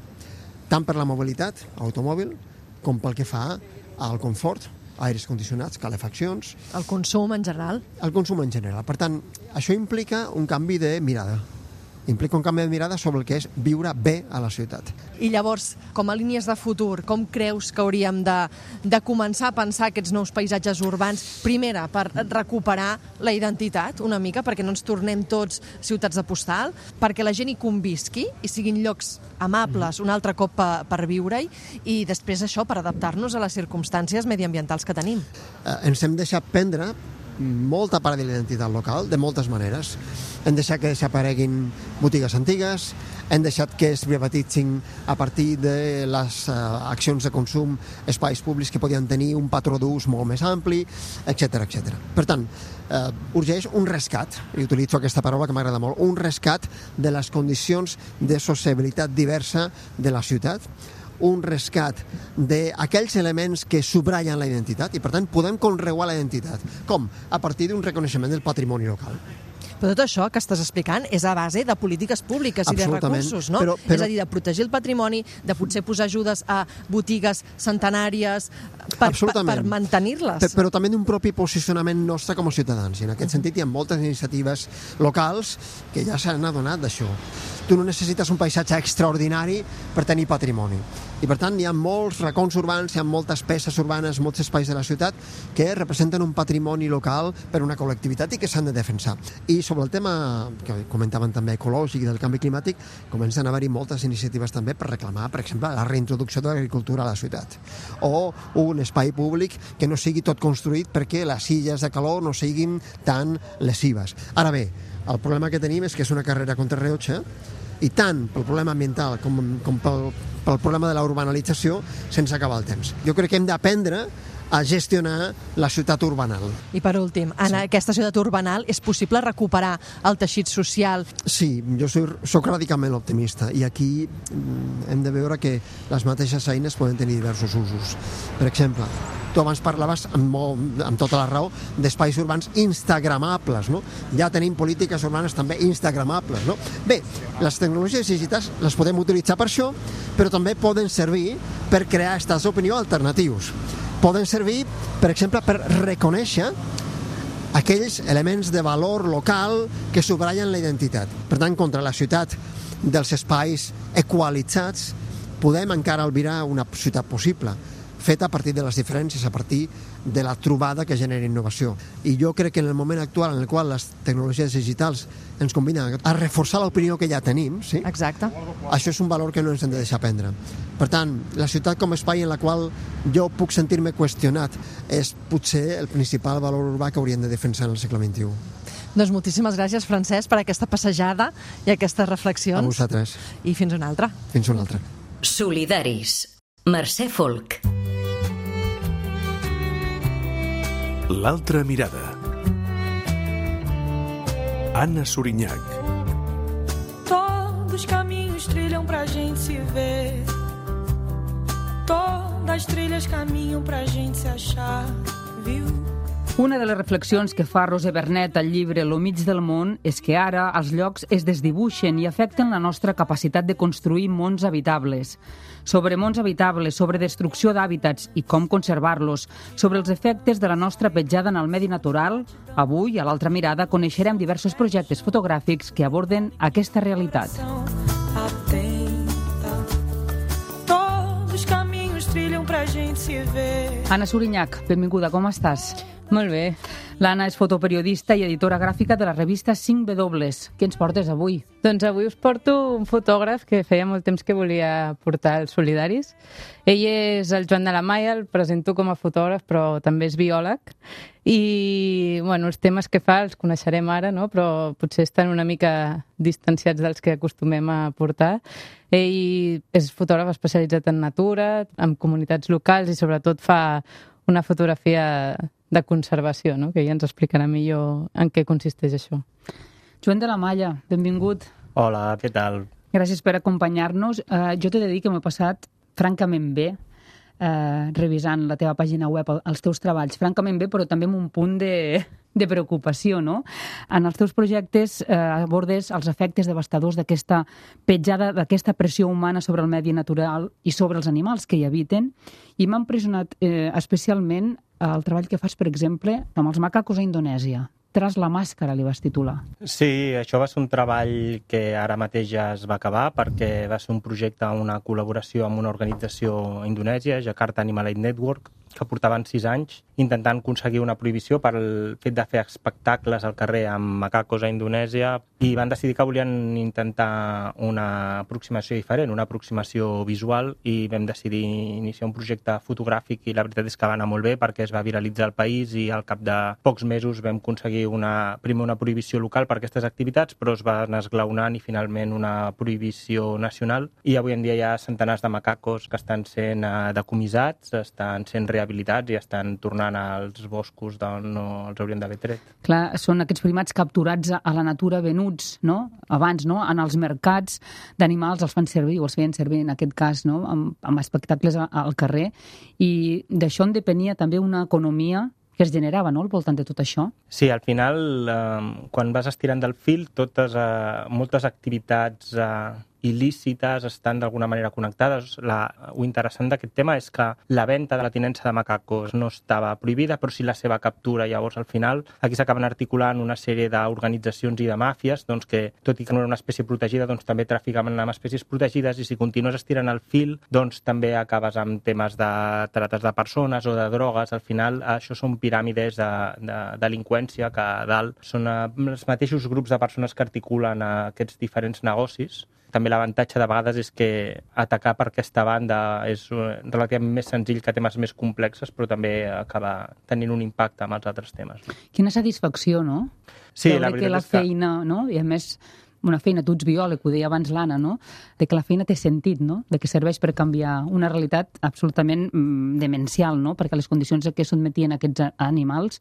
Tant per la mobilitat, automòbil, com pel que fa al confort, aires condicionats, calefaccions... El consum en general. El consum en general. Per tant, això implica un canvi de mirada. Implica un canvi de mirada sobre el que és viure bé a la ciutat. I llavors, com a línies de futur, com creus que hauríem de començar a pensar aquests nous paisatges urbans? Primera, per recuperar la identitat una mica, perquè no ens tornem tots ciutats de postal, perquè la gent hi convisqui i siguin llocs amables un altre cop per viure-hi, i després això per adaptar-nos a les circumstàncies mediambientals que tenim. Ens hem deixat prendre molta part de l'identitat local, de moltes maneres, hem deixat que desapareguin botigues antigues, hem deixat que es privatitzin a partir de les accions de consum espais públics que podien tenir un patró d'ús molt més ampli, etc etc. Per tant, urgeix un rescat, i utilitzo aquesta paraula que m'agrada molt, un rescat de les condicions de sociabilitat diversa de la ciutat, un rescat d'aquells elements que subratllen la identitat i, per tant, podem conreuar la identitat. Com? A partir d'un reconeixement del patrimoni local. Però tot això que estàs explicant és a base de polítiques públiques i de recursos, no? Però... És a dir, de protegir el patrimoni, de potser posar ajudes a botigues centenàries per mantenir-les. Però també d'un propi posicionament nostre com a ciutadans. I en aquest sentit hi ha moltes iniciatives locals que ja s'han adonat d'això. Tu no necessites un paisatge extraordinari per tenir patrimoni. I, per tant, hi ha molts racons urbans, hi ha moltes peces urbanes, molts espais de la ciutat que representen un patrimoni local per una col·lectivitat i que s'han de defensar. I sobre el tema que comentaven també ecològic i del canvi climàtic, comencen a haver-hi moltes iniciatives també per reclamar, per exemple, la reintroducció de l'agricultura a la ciutat. O un espai públic que no sigui tot construït perquè les illes de calor no siguin tan lesives. Ara bé, el problema que tenim és que és una carrera contra rellotge i tant pel problema ambiental com pel problema de la urbanalització sense acabar el temps. Jo crec que hem d'aprendre a gestionar la ciutat urbanal. I per últim, en aquesta ciutat urbanal és possible recuperar el teixit social? Sí, jo soc radicalment optimista i aquí hem de veure que les mateixes eines poden tenir diversos usos. Per exemple, tu abans parlaves amb tota la raó d'espais urbans instagramables, no? Ja tenim polítiques urbanes també instagramables, no? Bé, les tecnologies digitals les podem utilitzar per això, però també poden servir per crear estats d'opinió alternatius. Poden servir, per exemple, per reconèixer aquells elements de valor local que subratllen la identitat. Per tant, contra la ciutat dels espais equalitzats podem encara albirar una ciutat possible, feta a partir de les diferències, a partir de la trobada que genera innovació. I jo crec que en el moment actual en el qual les tecnologies digitals ens combinen a reforçar l'opinió que ja tenim, sí? Exacte. Això és un valor que no ens hem de deixar prendre. Per tant, la ciutat com a espai en la qual jo puc sentir-me qüestionat és potser el principal valor urbà que hauríem de defensar en el segle XXI. Doncs moltíssimes gràcies, Francesc, per aquesta passejada i aquestes reflexions. A vosaltres. I fins una altra. Fins una altra. Solidaris. Mercè Folk. L'altra mirada. Anna Sorinyac. Todos os caminhos trilham pra gente se ver. Todas as trilhas caminham pra gente se achar, viu? Una de les reflexions que fa Roser Bernet al llibre Lo mig del món és que ara els llocs es desdibuixen i afecten la nostra capacitat de construir mons habitables. Sobre mons habitables, sobre destrucció d'hàbitats i com conservar-los, sobre els efectes de la nostra petjada en el medi natural, avui, a l'altra mirada, coneixerem diversos projectes fotogràfics que aborden aquesta realitat. Todos os caminhos trilham pra gente se ver. Anna Sorinyac, benvinguda, com estàs? Molt bé. L'Anna és fotoperiodista i editora gràfica de la revista 5W. Què ens portes avui? Doncs avui us porto un fotògraf que feia molt temps que volia portar als Solidaris. Ell és el Joan de la Maia, el presento com a fotògraf, però també és biòleg. I bueno, els temes que fa els coneixerem ara, no? Però potser estan una mica distanciats dels que acostumem a portar. Ell és fotògraf especialitzat en natura, en comunitats locals i sobretot fa una fotografia de conservació, no? Que ja ens explicarà millor en què consisteix això. Joan de la Maia, benvingut. Hola, què tal? Gràcies per acompanyar-nos. Jo t'he de dir que m'he passat francament bé revisant la teva pàgina web, els teus treballs, francament bé, però també amb un punt de preocupació, no? En els teus projectes abordes els efectes devastadors d'aquesta petjada, d'aquesta pressió humana sobre el medi natural i sobre els animals que hi habiten, i m'ha impressionat especialment el treball que fas, per exemple, amb els macacos a Indonèsia. Tras la màscara, li vas titular. Sí, això va ser un treball que ara mateix ja es va acabar perquè va ser un projecte, una col·laboració amb una organització indonèsia, Jakarta Animal Aid Network, que portaven 6 anys intentant aconseguir una prohibició pel fet de fer espectacles al carrer amb macacos a Indonèsia, i van decidir que volien intentar una aproximació diferent, una aproximació visual, i vam decidir iniciar un projecte fotogràfic, i la veritat és que va anar molt bé perquè es va viralitzar al país i al cap de pocs mesos vam aconseguir primer una prohibició local per aquestes activitats, però es va anar esglaonant i finalment una prohibició nacional, i avui en dia hi ha centenars de macacos que estan sent decomissats, estan sent rehabilitats i estan tornant als boscos d'on no els haurien d'haver tret. Clar, són aquests primats capturats a la natura venuts, no? Abans, no? En els mercats d'animals els fan servir, o els feien servir en aquest cas, no? Amb espectacles al carrer, i d'això en depenia també una economia que es generava, no?, al voltant de tot això. Sí, al final, quan vas estirant del fil, moltes activitats il·lícites estan d'alguna manera connectades. Lo interessant d'aquest tema és que la venda de la tinença de macacos no estava prohibida, però sí la seva captura. Llavors, al final, aquí s'acaben articulant una sèrie d'organitzacions i de màfies que, tot i que no era una espècie protegida, també traficaven amb espècies protegides, i si continues estirant el fil, també acabes amb temes de trates de persones o de drogues. Al final, això són piràmides de delinqüència que a dalt són els mateixos grups de persones que articulen aquests diferents negocis. També l'avantatge de vegades és que atacar per aquesta banda és relativament més senzill que temes més complexes, però també acaba tenint un impacte amb els altres temes. Quina satisfacció, no? Sí, la veritat és que la feina, no? I a més, una feina, tu ets biòleg, ho deia abans l'Anna, no? De que la feina té sentit, no? De que serveix per canviar una realitat absolutament demencial, no? Perquè les condicions a què sotmetien aquests animals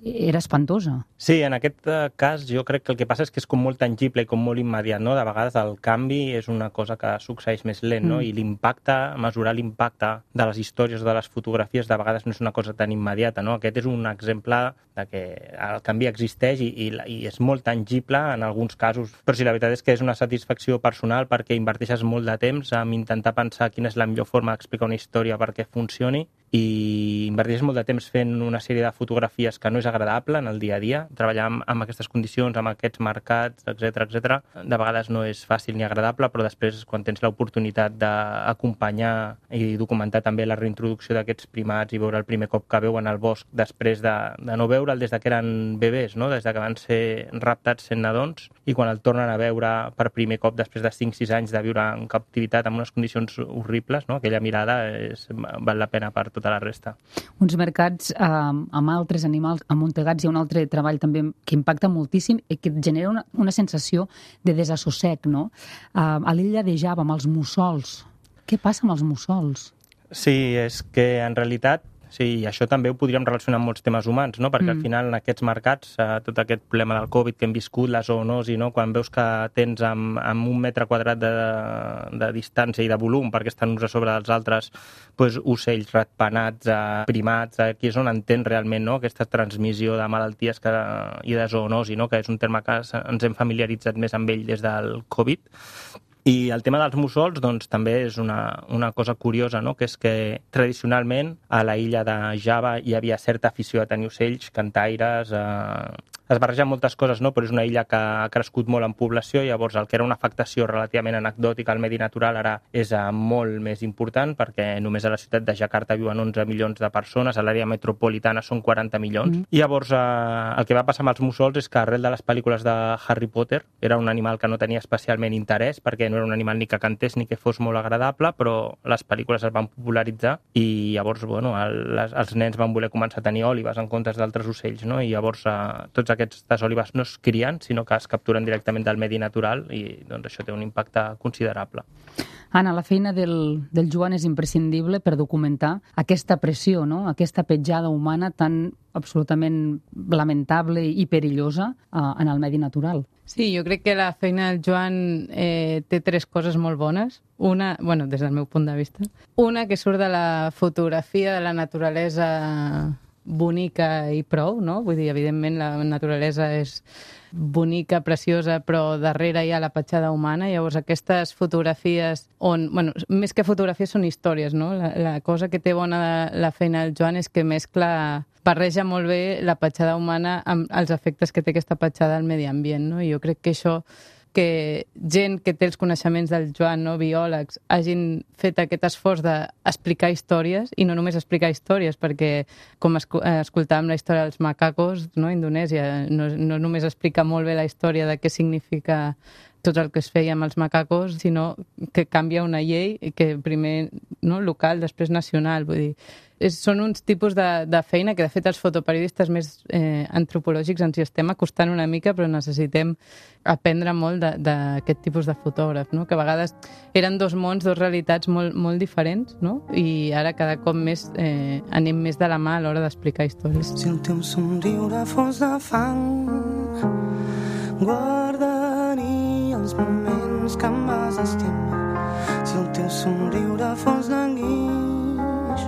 era espantosa. Sí, en aquest cas jo crec que el que passa és que és com molt tangible i com molt immediat, no? De vegades el canvi és una cosa que succeeix més lent, no? I l'impacte, mesurar l'impacte de les històries o de les fotografies de vegades no és una cosa tan immediata, no? Aquest és un exemple de que el canvi existeix i és molt tangible en alguns casos, però sí, la veritat és que és una satisfacció personal perquè inverteixes molt de temps en intentar pensar quina és la millor forma d'explicar una història perquè funcioni, i inverteixes molt de temps fent una sèrie de fotografies que no és agradable en el dia a dia. Treballar amb aquestes condicions, amb aquests mercats, etc. De vegades no és fàcil ni agradable, però després, quan tens l'oportunitat d'acompanyar i documentar també la reintroducció d'aquests primats i veure el primer cop que veuen al bosc després de no veure'l des que eren bebès, no? Des que van ser raptats sent nadons, i quan el tornen a veure per primer cop després de 5-6 anys de viure en captivitat amb unes condicions horribles, no? Aquella mirada val la pena per tota la resta. Uns mercats amb altres animals amuntegats. Hi ha un altre treball també que impacta moltíssim i que genera una sensació de desassossec, no? A l'illa de Java, amb els mussols. Què passa amb els mussols? Sí, és que en realitat sí, i això també ho podríem relacionar amb molts temes humans, no? Perquè al final en aquests mercats, tot aquest problema del Covid que hem viscut, la zoonosi, no? Quan veus que tens amb 1 metre quadrat de distància i de volum, perquè estan uns a sobre dels altres, doncs, ocells, ratpenats, primats, aquí és on entens realment, no? Aquesta transmissió de malalties i de zoonosi, no? Que és un terme que ens hem familiaritzat més amb ell des del Covid. I el tema dels mussols, doncs, també és una cosa curiosa, no? Que és que tradicionalment a la illa de Java hi havia certa afició a tenir ocells, cantaires, es barregen moltes coses, no? Però és una illa que ha crescut molt en població, llavors el que era una afectació relativament anecdòtica al medi natural ara és molt més important, perquè només a la ciutat de Jakarta viuen 11 milions de persones, a l'àrea metropolitana són 40 milions. I llavors el que va passar amb els mussols és que arrel de les pel·lícules de Harry Potter era un animal que no tenia especialment interès, perquè no era un animal ni que cantés ni que fos molt agradable, però les pel·lícules es van popularitzar i llavors els nens van voler començar a tenir òlibes en comptes d'altres ocells, no? I llavors tots aquestes òlibes no es crien, sinó que es capturen directament del medi natural i doncs, això té un impacte considerable. Anna, la feina del Joan és imprescindible per documentar aquesta pressió, no? Aquesta petjada humana tan absolutament lamentable i perillosa en el medi natural. Sí, jo crec que la feina del Joan té 3 coses molt bones. Una, bueno, des del meu punt de vista. Una, que surt de la fotografia de la naturalesa bonica i prou, no? Vull dir, evidentment, la naturalesa és bonica, preciosa, però darrere hi ha la petjada humana. Llavors, aquestes fotografies on... Bueno, més que fotografies són històries, no? La cosa que té bona la feina del Joan és que barreja molt bé la petjada humana amb els efectes que té aquesta petjada al medi ambient, no? I jo crec que això que gent que té els coneixements del Joan, no, biòlegs, hagin fet aquest esforç d'explicar històries, i no només explicar històries, perquè com escoltàvem la història dels macacos, no, a Indonèsia, no només explica molt bé la història de què significa tot el que es feia amb els macacos, sinó que canvia una llei que primer local, després nacional. Vull dir, són uns tipus de feina que, de fet, els fotoperiodistes més antropològics ens hi estem acostant una mica, però necessitem aprendre molt d'aquest tipus de fotògraf, no? Que a vegades eren dos mons, dos realitats molt diferents, no? I ara cada cop més anem més de la mà a l'hora d'explicar històries. Si el teu somriure fos de fang, guardaria els moments que em vas estimar. Si el teu somriure fos de guix,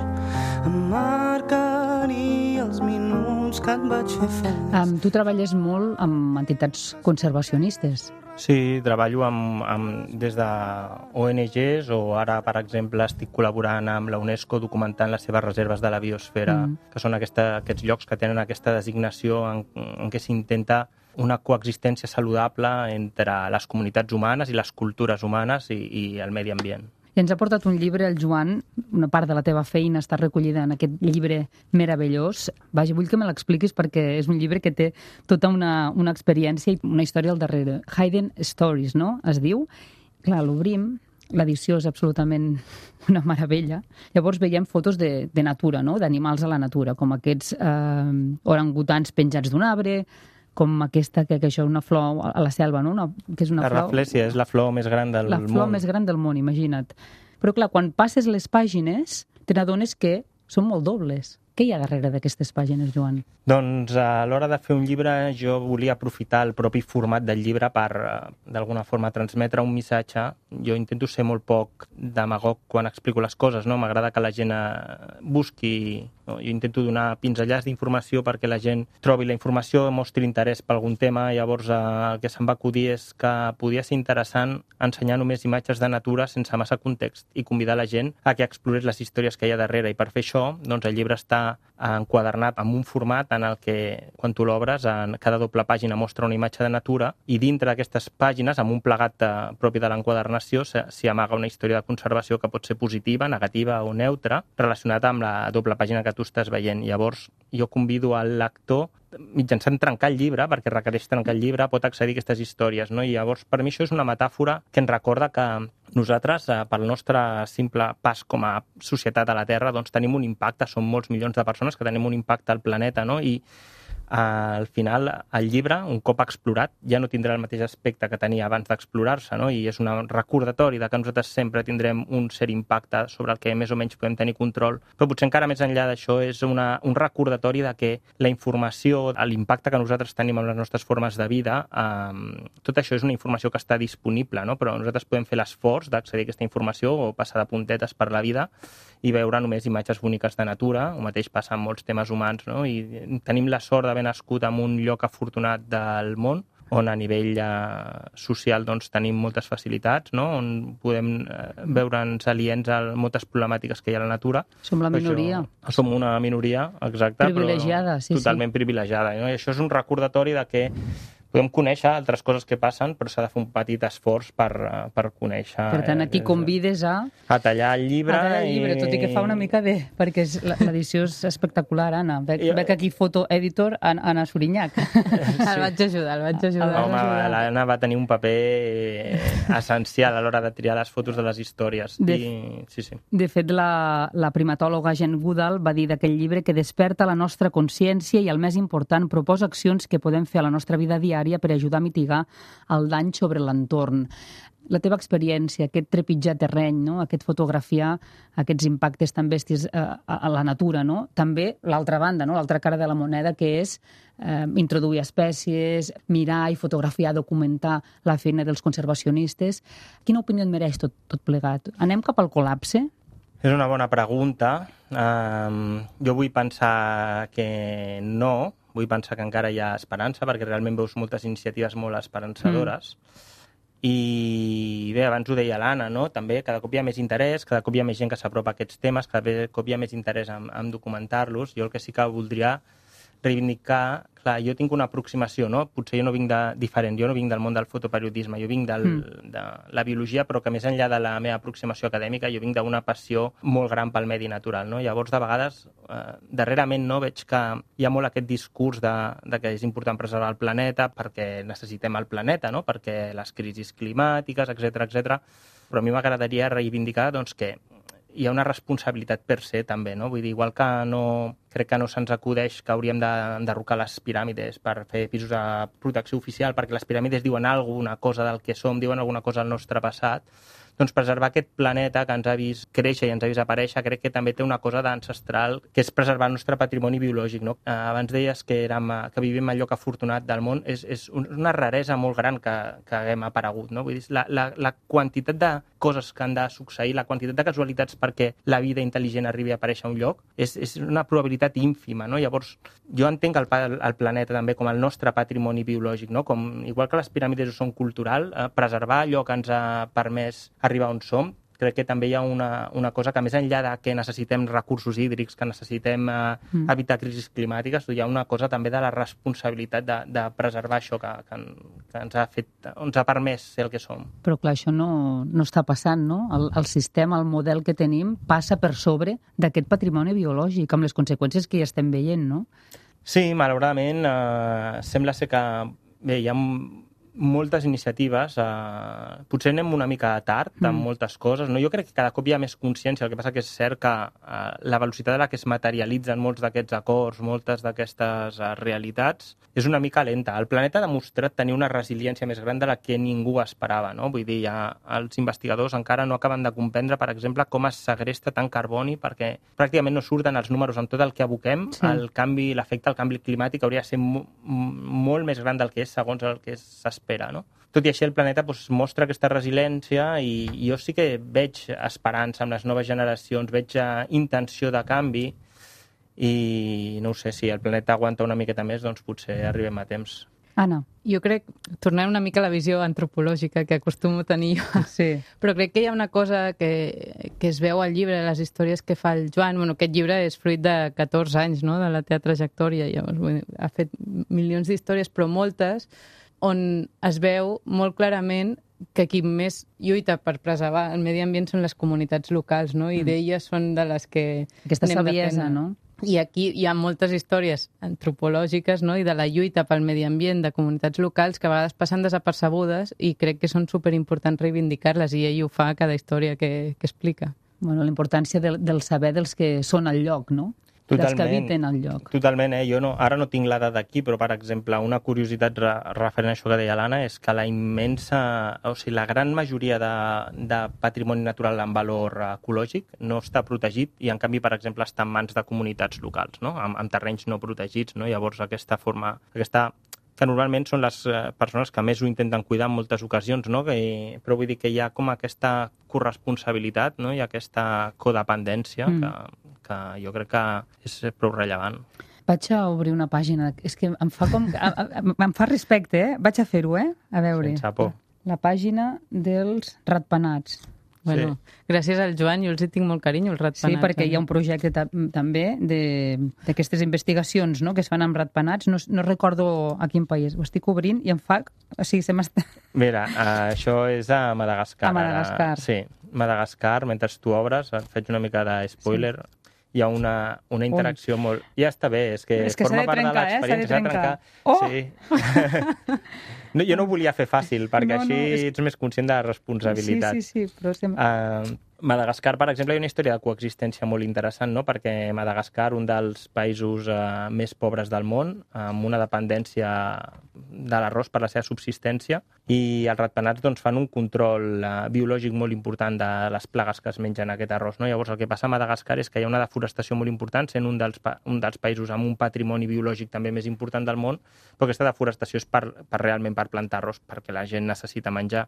em marcaria els minuts que et vaig fer feliç. Tu treballes molt amb entitats conservacionistes. Sí, treballo des de ONGs, o ara, per exemple, estic col·laborant amb la UNESCO documentant les seves reserves de la biosfera, que són aquests llocs que tenen aquesta designació en què s'intenta una coexistència saludable entre les comunitats humanes i les cultures humanes i el medi ambient. I ens ha portat un llibre, el Joan, una part de la teva feina està recollida en aquest llibre meravellós. Vaja, vull que me l'expliquis perquè és un llibre que té tota una experiència i una història al darrere. Hidden Stories, no? Es diu. Clar, l'obrim, l'edició és absolutament una meravella. Llavors veiem fotos de natura, no? D'animals a la natura, com aquests orangutans penjats d'un arbre, com aquesta, que això és una flor a la selva, no? Que és una la raflèsia és la flor més gran del món. La flor més gran del món, imagina't. Però clar, quan passes les pàgines, te n'adones que són molt dobles. Què hi ha darrere d'aquestes pàgines, Joan? Doncs a l'hora de fer un llibre jo volia aprofitar el propi format del llibre per, d'alguna forma, transmetre un missatge. Jo intento ser molt poc demagog quan explico les coses, no? M'agrada que la gent busqui, no? Jo intento donar pinzellars d'informació perquè la gent trobi la informació, mostri interès per algun tema. Llavors el que se'm va acudir és que podia ser interessant ensenyar només imatges de natura sense massa context i convidar la gent a que explorés les històries que hi ha darrere. I per fer això, doncs el llibre està enquadernat amb un format en el que, quan tu l'obres, en cada doble pàgina mostra una imatge de natura i dintre d'aquestes pàgines, amb un plegat propi de l'enquadernació, s'hi amaga una història de conservació que pot ser positiva, negativa o neutra, relacionada amb la doble pàgina que tu estàs veient. Llavors, jo convido al lector, mitjançant trencar el llibre, perquè requereix trencar el llibre, pot accedir a aquestes històries, no? I llavors, per mi això és una metàfora que ens recorda que nosaltres, pel nostre simple pas com a societat a la Terra, doncs tenim un impacte, som molts milions de persones que tenim un impacte al planeta, no? I al final el llibre, un cop explorat, ja no tindrà el mateix aspecte que tenia abans d'explorar-se, no? I és un recordatori de que nosaltres sempre tindrem un cert impacte sobre el que més o menys podem tenir control, però potser encara més enllà d'això és un recordatori de que la informació, l'impacte que nosaltres tenim amb les nostres formes de vida, tot això és una informació que està disponible, no? Però nosaltres podem fer l'esforç d'accedir a aquesta informació o passar de puntetes per la vida i veure només imatges boniques de natura. El mateix passa amb molts temes humans, no? I tenim la sort d'haver nascut en un lloc afortunat del món on a nivell social doncs, tenim moltes facilitats, no? On podem veure'ns aliens a moltes problemàtiques que hi ha a la natura. Som la minoria. Som una minoria, exacte. Privilegiada, però totalment privilegiada. No? I això és un recordatori de que podem conèixer altres coses que passen, però s'ha de fer un petit esforç per conèixer. Per tant, aquí convides a tallar el llibre. Tot i que fa una mica de... Perquè l'edició és espectacular, Anna. Veig aquí fotoeditor, Anna Sorinyac. El vaig ajudar. Home, l'Anna va tenir un paper essencial a l'hora de triar les fotos de les històries. De fet, la primatòloga Jen Goodall va dir d'aquell llibre que desperta la nostra consciència i, el més important, proposa accions que podem fer a la nostra vida diària per ajudar a mitigar el dany sobre l'entorn. La teva experiència, aquest trepitjar terreny, no? Aquest fotografiar aquests impactes tan bèsties a la natura, no? També l'altra banda, no? L'altra cara de la moneda, que és introduir espècies, mirar i fotografiar, documentar la feina dels conservacionistes. Quina opinió et mereix tot plegat? Anem cap al col·lapse? És una bona pregunta. Jo vull pensar que no. Vull pensar que encara hi ha esperança, perquè realment veus moltes iniciatives molt esperançadores. I bé, abans ho deia l'Anna, no? També cada cop hi ha més interès, cada cop hi ha més gent que s'apropa a aquests temes, cada cop hi ha més interès en documentar-los. Jo el que sí que voldria reivindicar clar, jo tinc una aproximació, no? Potser jo no vinc diferent, jo no vinc del món del fotoperiodisme, jo vinc de la biologia, però que més enllà de la meva aproximació acadèmica, jo vinc d'una passió molt gran pel medi natural, no? Llavors, de vegades, darrerament, no, veig que hi ha molt aquest discurs de que és important preservar el planeta perquè necessitem el planeta, no? Perquè les crisis climàtiques, etc. Però a mi m'agradaria reivindicar doncs, que hi ha una responsabilitat per se, també, no? Vull dir, igual que crec que no se'ns acudeix que hauríem d'enderrocar les piràmides per fer pisos de protecció oficial, perquè les piràmides diuen alguna cosa del que som, diuen alguna cosa del nostre passat, doncs preservar aquest planeta que ens ha vist créixer i ens ha vist aparèixer, crec que també té una cosa d'ancestral, que és preservar el nostre patrimoni biològic, no? Abans deies que vivim al lloc afortunat del món, és una raresa molt gran que haguem aparegut, no? Vull dir, la quantitat de coses que han de succeir, la quantitat de casualitats perquè la vida intel·ligent arribi a aparèixer a un lloc, és una probabilitat ínfima, no? Llavors, jo entenc el planeta també com el nostre patrimoni biològic, no? Com, igual que les piràmides ho són cultural, preservar allò que ens ha permès arribar on som, crec que també hi ha una cosa que més enllà de que necessitem recursos hídrics, que necessitem evitar crisis climàtiques, hi ha una cosa també de la responsabilitat de preservar això que ens ha permès ser el que som. Però clar, això no està passant, no? El sistema, el model que tenim, passa per sobre d'aquest patrimoni biològic, amb les conseqüències que ja estem veient, no? Sí, malauradament, sembla ser que bé, hi ha moltes iniciatives, potser anem una mica tard amb moltes coses, no? Jo crec que cada cop hi ha més consciència, el que passa que és cert que la velocitat a la que es materialitzen molts d'aquests acords, moltes d'aquestes realitats, és una mica lenta. El planeta ha demostrat tenir una resiliència més gran de la que ningú esperava, no? Vull dir, els investigadors encara no acaben de comprendre, per exemple, com es segresta tant carboni, perquè pràcticament no surten els números amb tot el que aboquem, l'efecte del canvi climàtic hauria de ser molt més gran del que és segons el que s'espera, no? Tot i així el planeta mostra aquesta resiliència i jo sí que veig esperança amb les noves generacions, veig intenció de canvi i no ho sé, si el planeta aguanta una miqueta més, doncs potser arribem a temps. Anna. Jo crec, tornem una mica a la visió antropològica que acostumo a tenir jo, però crec que hi ha una cosa que es veu al llibre, les històries que fa el Joan. Bueno, aquest llibre és fruit de 14 anys, no?, de la teva trajectòria. Llavors, ha fet milions d'històries, però moltes on es veu molt clarament que qui més lluita per preservar el medi ambient són les comunitats locals, no? I d'elles són de les que aquesta saviesa, no? I aquí hi ha moltes històries antropològiques, no?, i de la lluita pel medi ambient de comunitats locals que a vegades passen desapercebudes i crec que són superimportants reivindicar-les i ell ho fa a cada història que explica. Bueno, la importància del saber dels que són al lloc, no? Dels que habiten al lloc. Totalment, jo ara no tinc la dada d'aquí, però, per exemple, una curiositat referent a això que deia l'Anna és que la gran majoria de patrimoni natural amb valor ecològic no està protegit i, en canvi, per exemple, està en mans de comunitats locals, no?, amb terrenys no protegits, no? Llavors, que normalment són les persones que més ho intenten cuidar en moltes ocasions, no? Però vull dir que hi ha com aquesta corresponsabilitat, no?, i aquesta codependència que jo crec que és prou rellevant. Vaig a obrir una pàgina. És que em fa respecte, Vaig a fer-ho, A veure. Sense por. La pàgina dels ratpenats. Bueno, gràcies al Joan, jo els hi tinc molt carinyo, els ratpenats. Sí, perquè hi ha un projecte també d'aquestes investigacions, no?, que es fan amb ratpenats. No recordo a quin país. Ho estic obrint i em fa... O sigui, se m'està... Mira, això és a Madagascar. A Madagascar. Sí, Madagascar, mentre tu obres, faig una mica de spoiler, hi ha una interacció molt... Ja està bé, és que forma part de l'experiència. S'ha de trencar. Oh! Sí. No, jo no ho volia fer fàcil, perquè així ets més conscient de la responsabilitat. Sí, però sempre... Madagascar, per exemple, hi ha una història de coexistència molt interessant, no?, perquè Madagascar, un dels països més pobres del món, amb una dependència de l'arròs per la seva subsistència, i els ratpenats doncs, fan un control biològic molt important de les plagues que es mengen aquest arròs, no? Llavors, el que passa a Madagascar és que hi ha una deforestació molt important, sent un dels països amb un patrimoni biològic també més important del món, però aquesta deforestació és realment per plantar arròs, perquè la gent necessita menjar.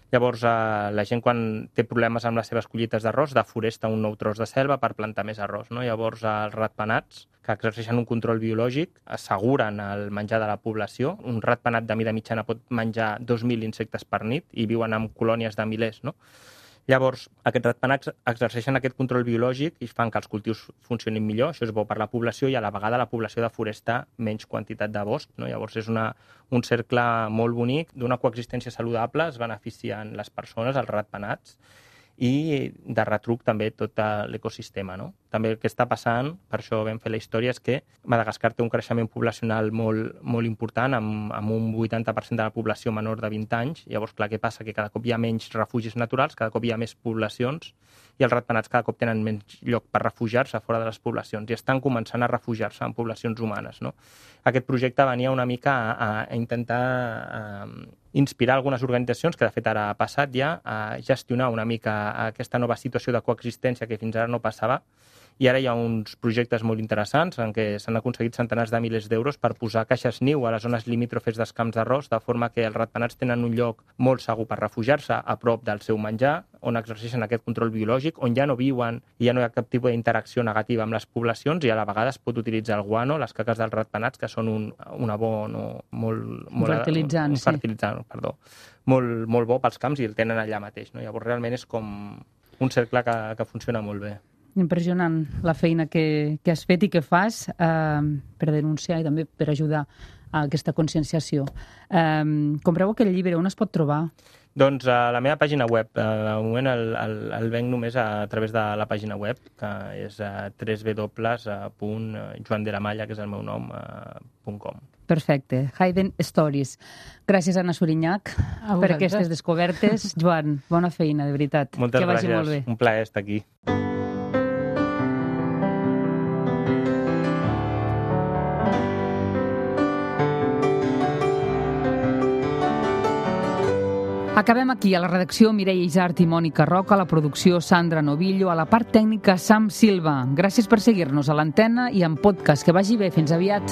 Llavors, la gent, quan té problemes amb les seves collites d'arròs, deforesta un nou tros de selva per plantar més arròs, no? Llavors, els ratpenats, que exerceixen un control biològic, asseguren el menjar de la població. Un ratpenat de mida mitjana pot menjar 2.000 insectes per nit i viuen en colònies de milers, no? Llavors, aquests ratpenats exerceixen aquest control biològic i fan que els cultius funcionin millor, això és bo per la població i a la vegada la població deforesta menys quantitat de bosc, no? Llavors és un cercle molt bonic d'una coexistència saludable, es beneficien les persones, els ratpenats, i de retruc també tot l'ecosistema, no? També el que està passant, per això vam fer la història, és que Madagascar té un creixement poblacional molt important, amb un 80% de la població menor de 20 anys. Llavors, clar, què passa? Que cada cop hi ha menys refugis naturals, cada cop hi ha més poblacions, i els ratpenats cada cop tenen menys lloc per refugiar-se fora de les poblacions, i estan començant a refugiar-se en poblacions humanes, no? Aquest projecte venia una mica a intentar inspirar algunes organitzacions, que de fet ara ha passat ja, a gestionar una mica aquesta nova situació de coexistència que fins ara no passava, i ara hi ha uns projectes molt interessants en què s'han aconseguit centenars de milers d'euros per posar caixes niu a les zones limítrofes dels camps d'arròs, de forma que els ratpenats tenen un lloc molt segur per refugiar-se a prop del seu menjar, on exerceixen aquest control biològic, on ja no viuen i ja no hi ha cap tipus d'interacció negativa amb les poblacions, i a la vegada es pot utilitzar el guano, les caques dels ratpenats, que són un abono molt fertilitzant, molt bo pels camps, i el tenen allà mateix, no? Llavors realment és com un cercle que funciona molt bé. Impressionant la feina que has fet i que fas per denunciar i també per ajudar a aquesta conscienciació. Compreu aquest llibre, on es pot trobar? Doncs a la meva pàgina web. De moment el venc només a través de la pàgina web, que és www.joandelamalla, que és el meu nom, .com. Perfecte. Hidden Stories. Gràcies, Anna Surinyach, per aquestes descobertes. Joan, bona feina, de veritat. Moltes gràcies. Que vagi molt bé. Un plaer estar aquí. Acabem aquí. A la redacció, Mireia Isart i Mònica Roca, a la producció, Sandra Novillo, a la part tècnica, Sam Silva. Gràcies per seguir-nos a l'antena i en podcast. Que vagi bé. Fins aviat.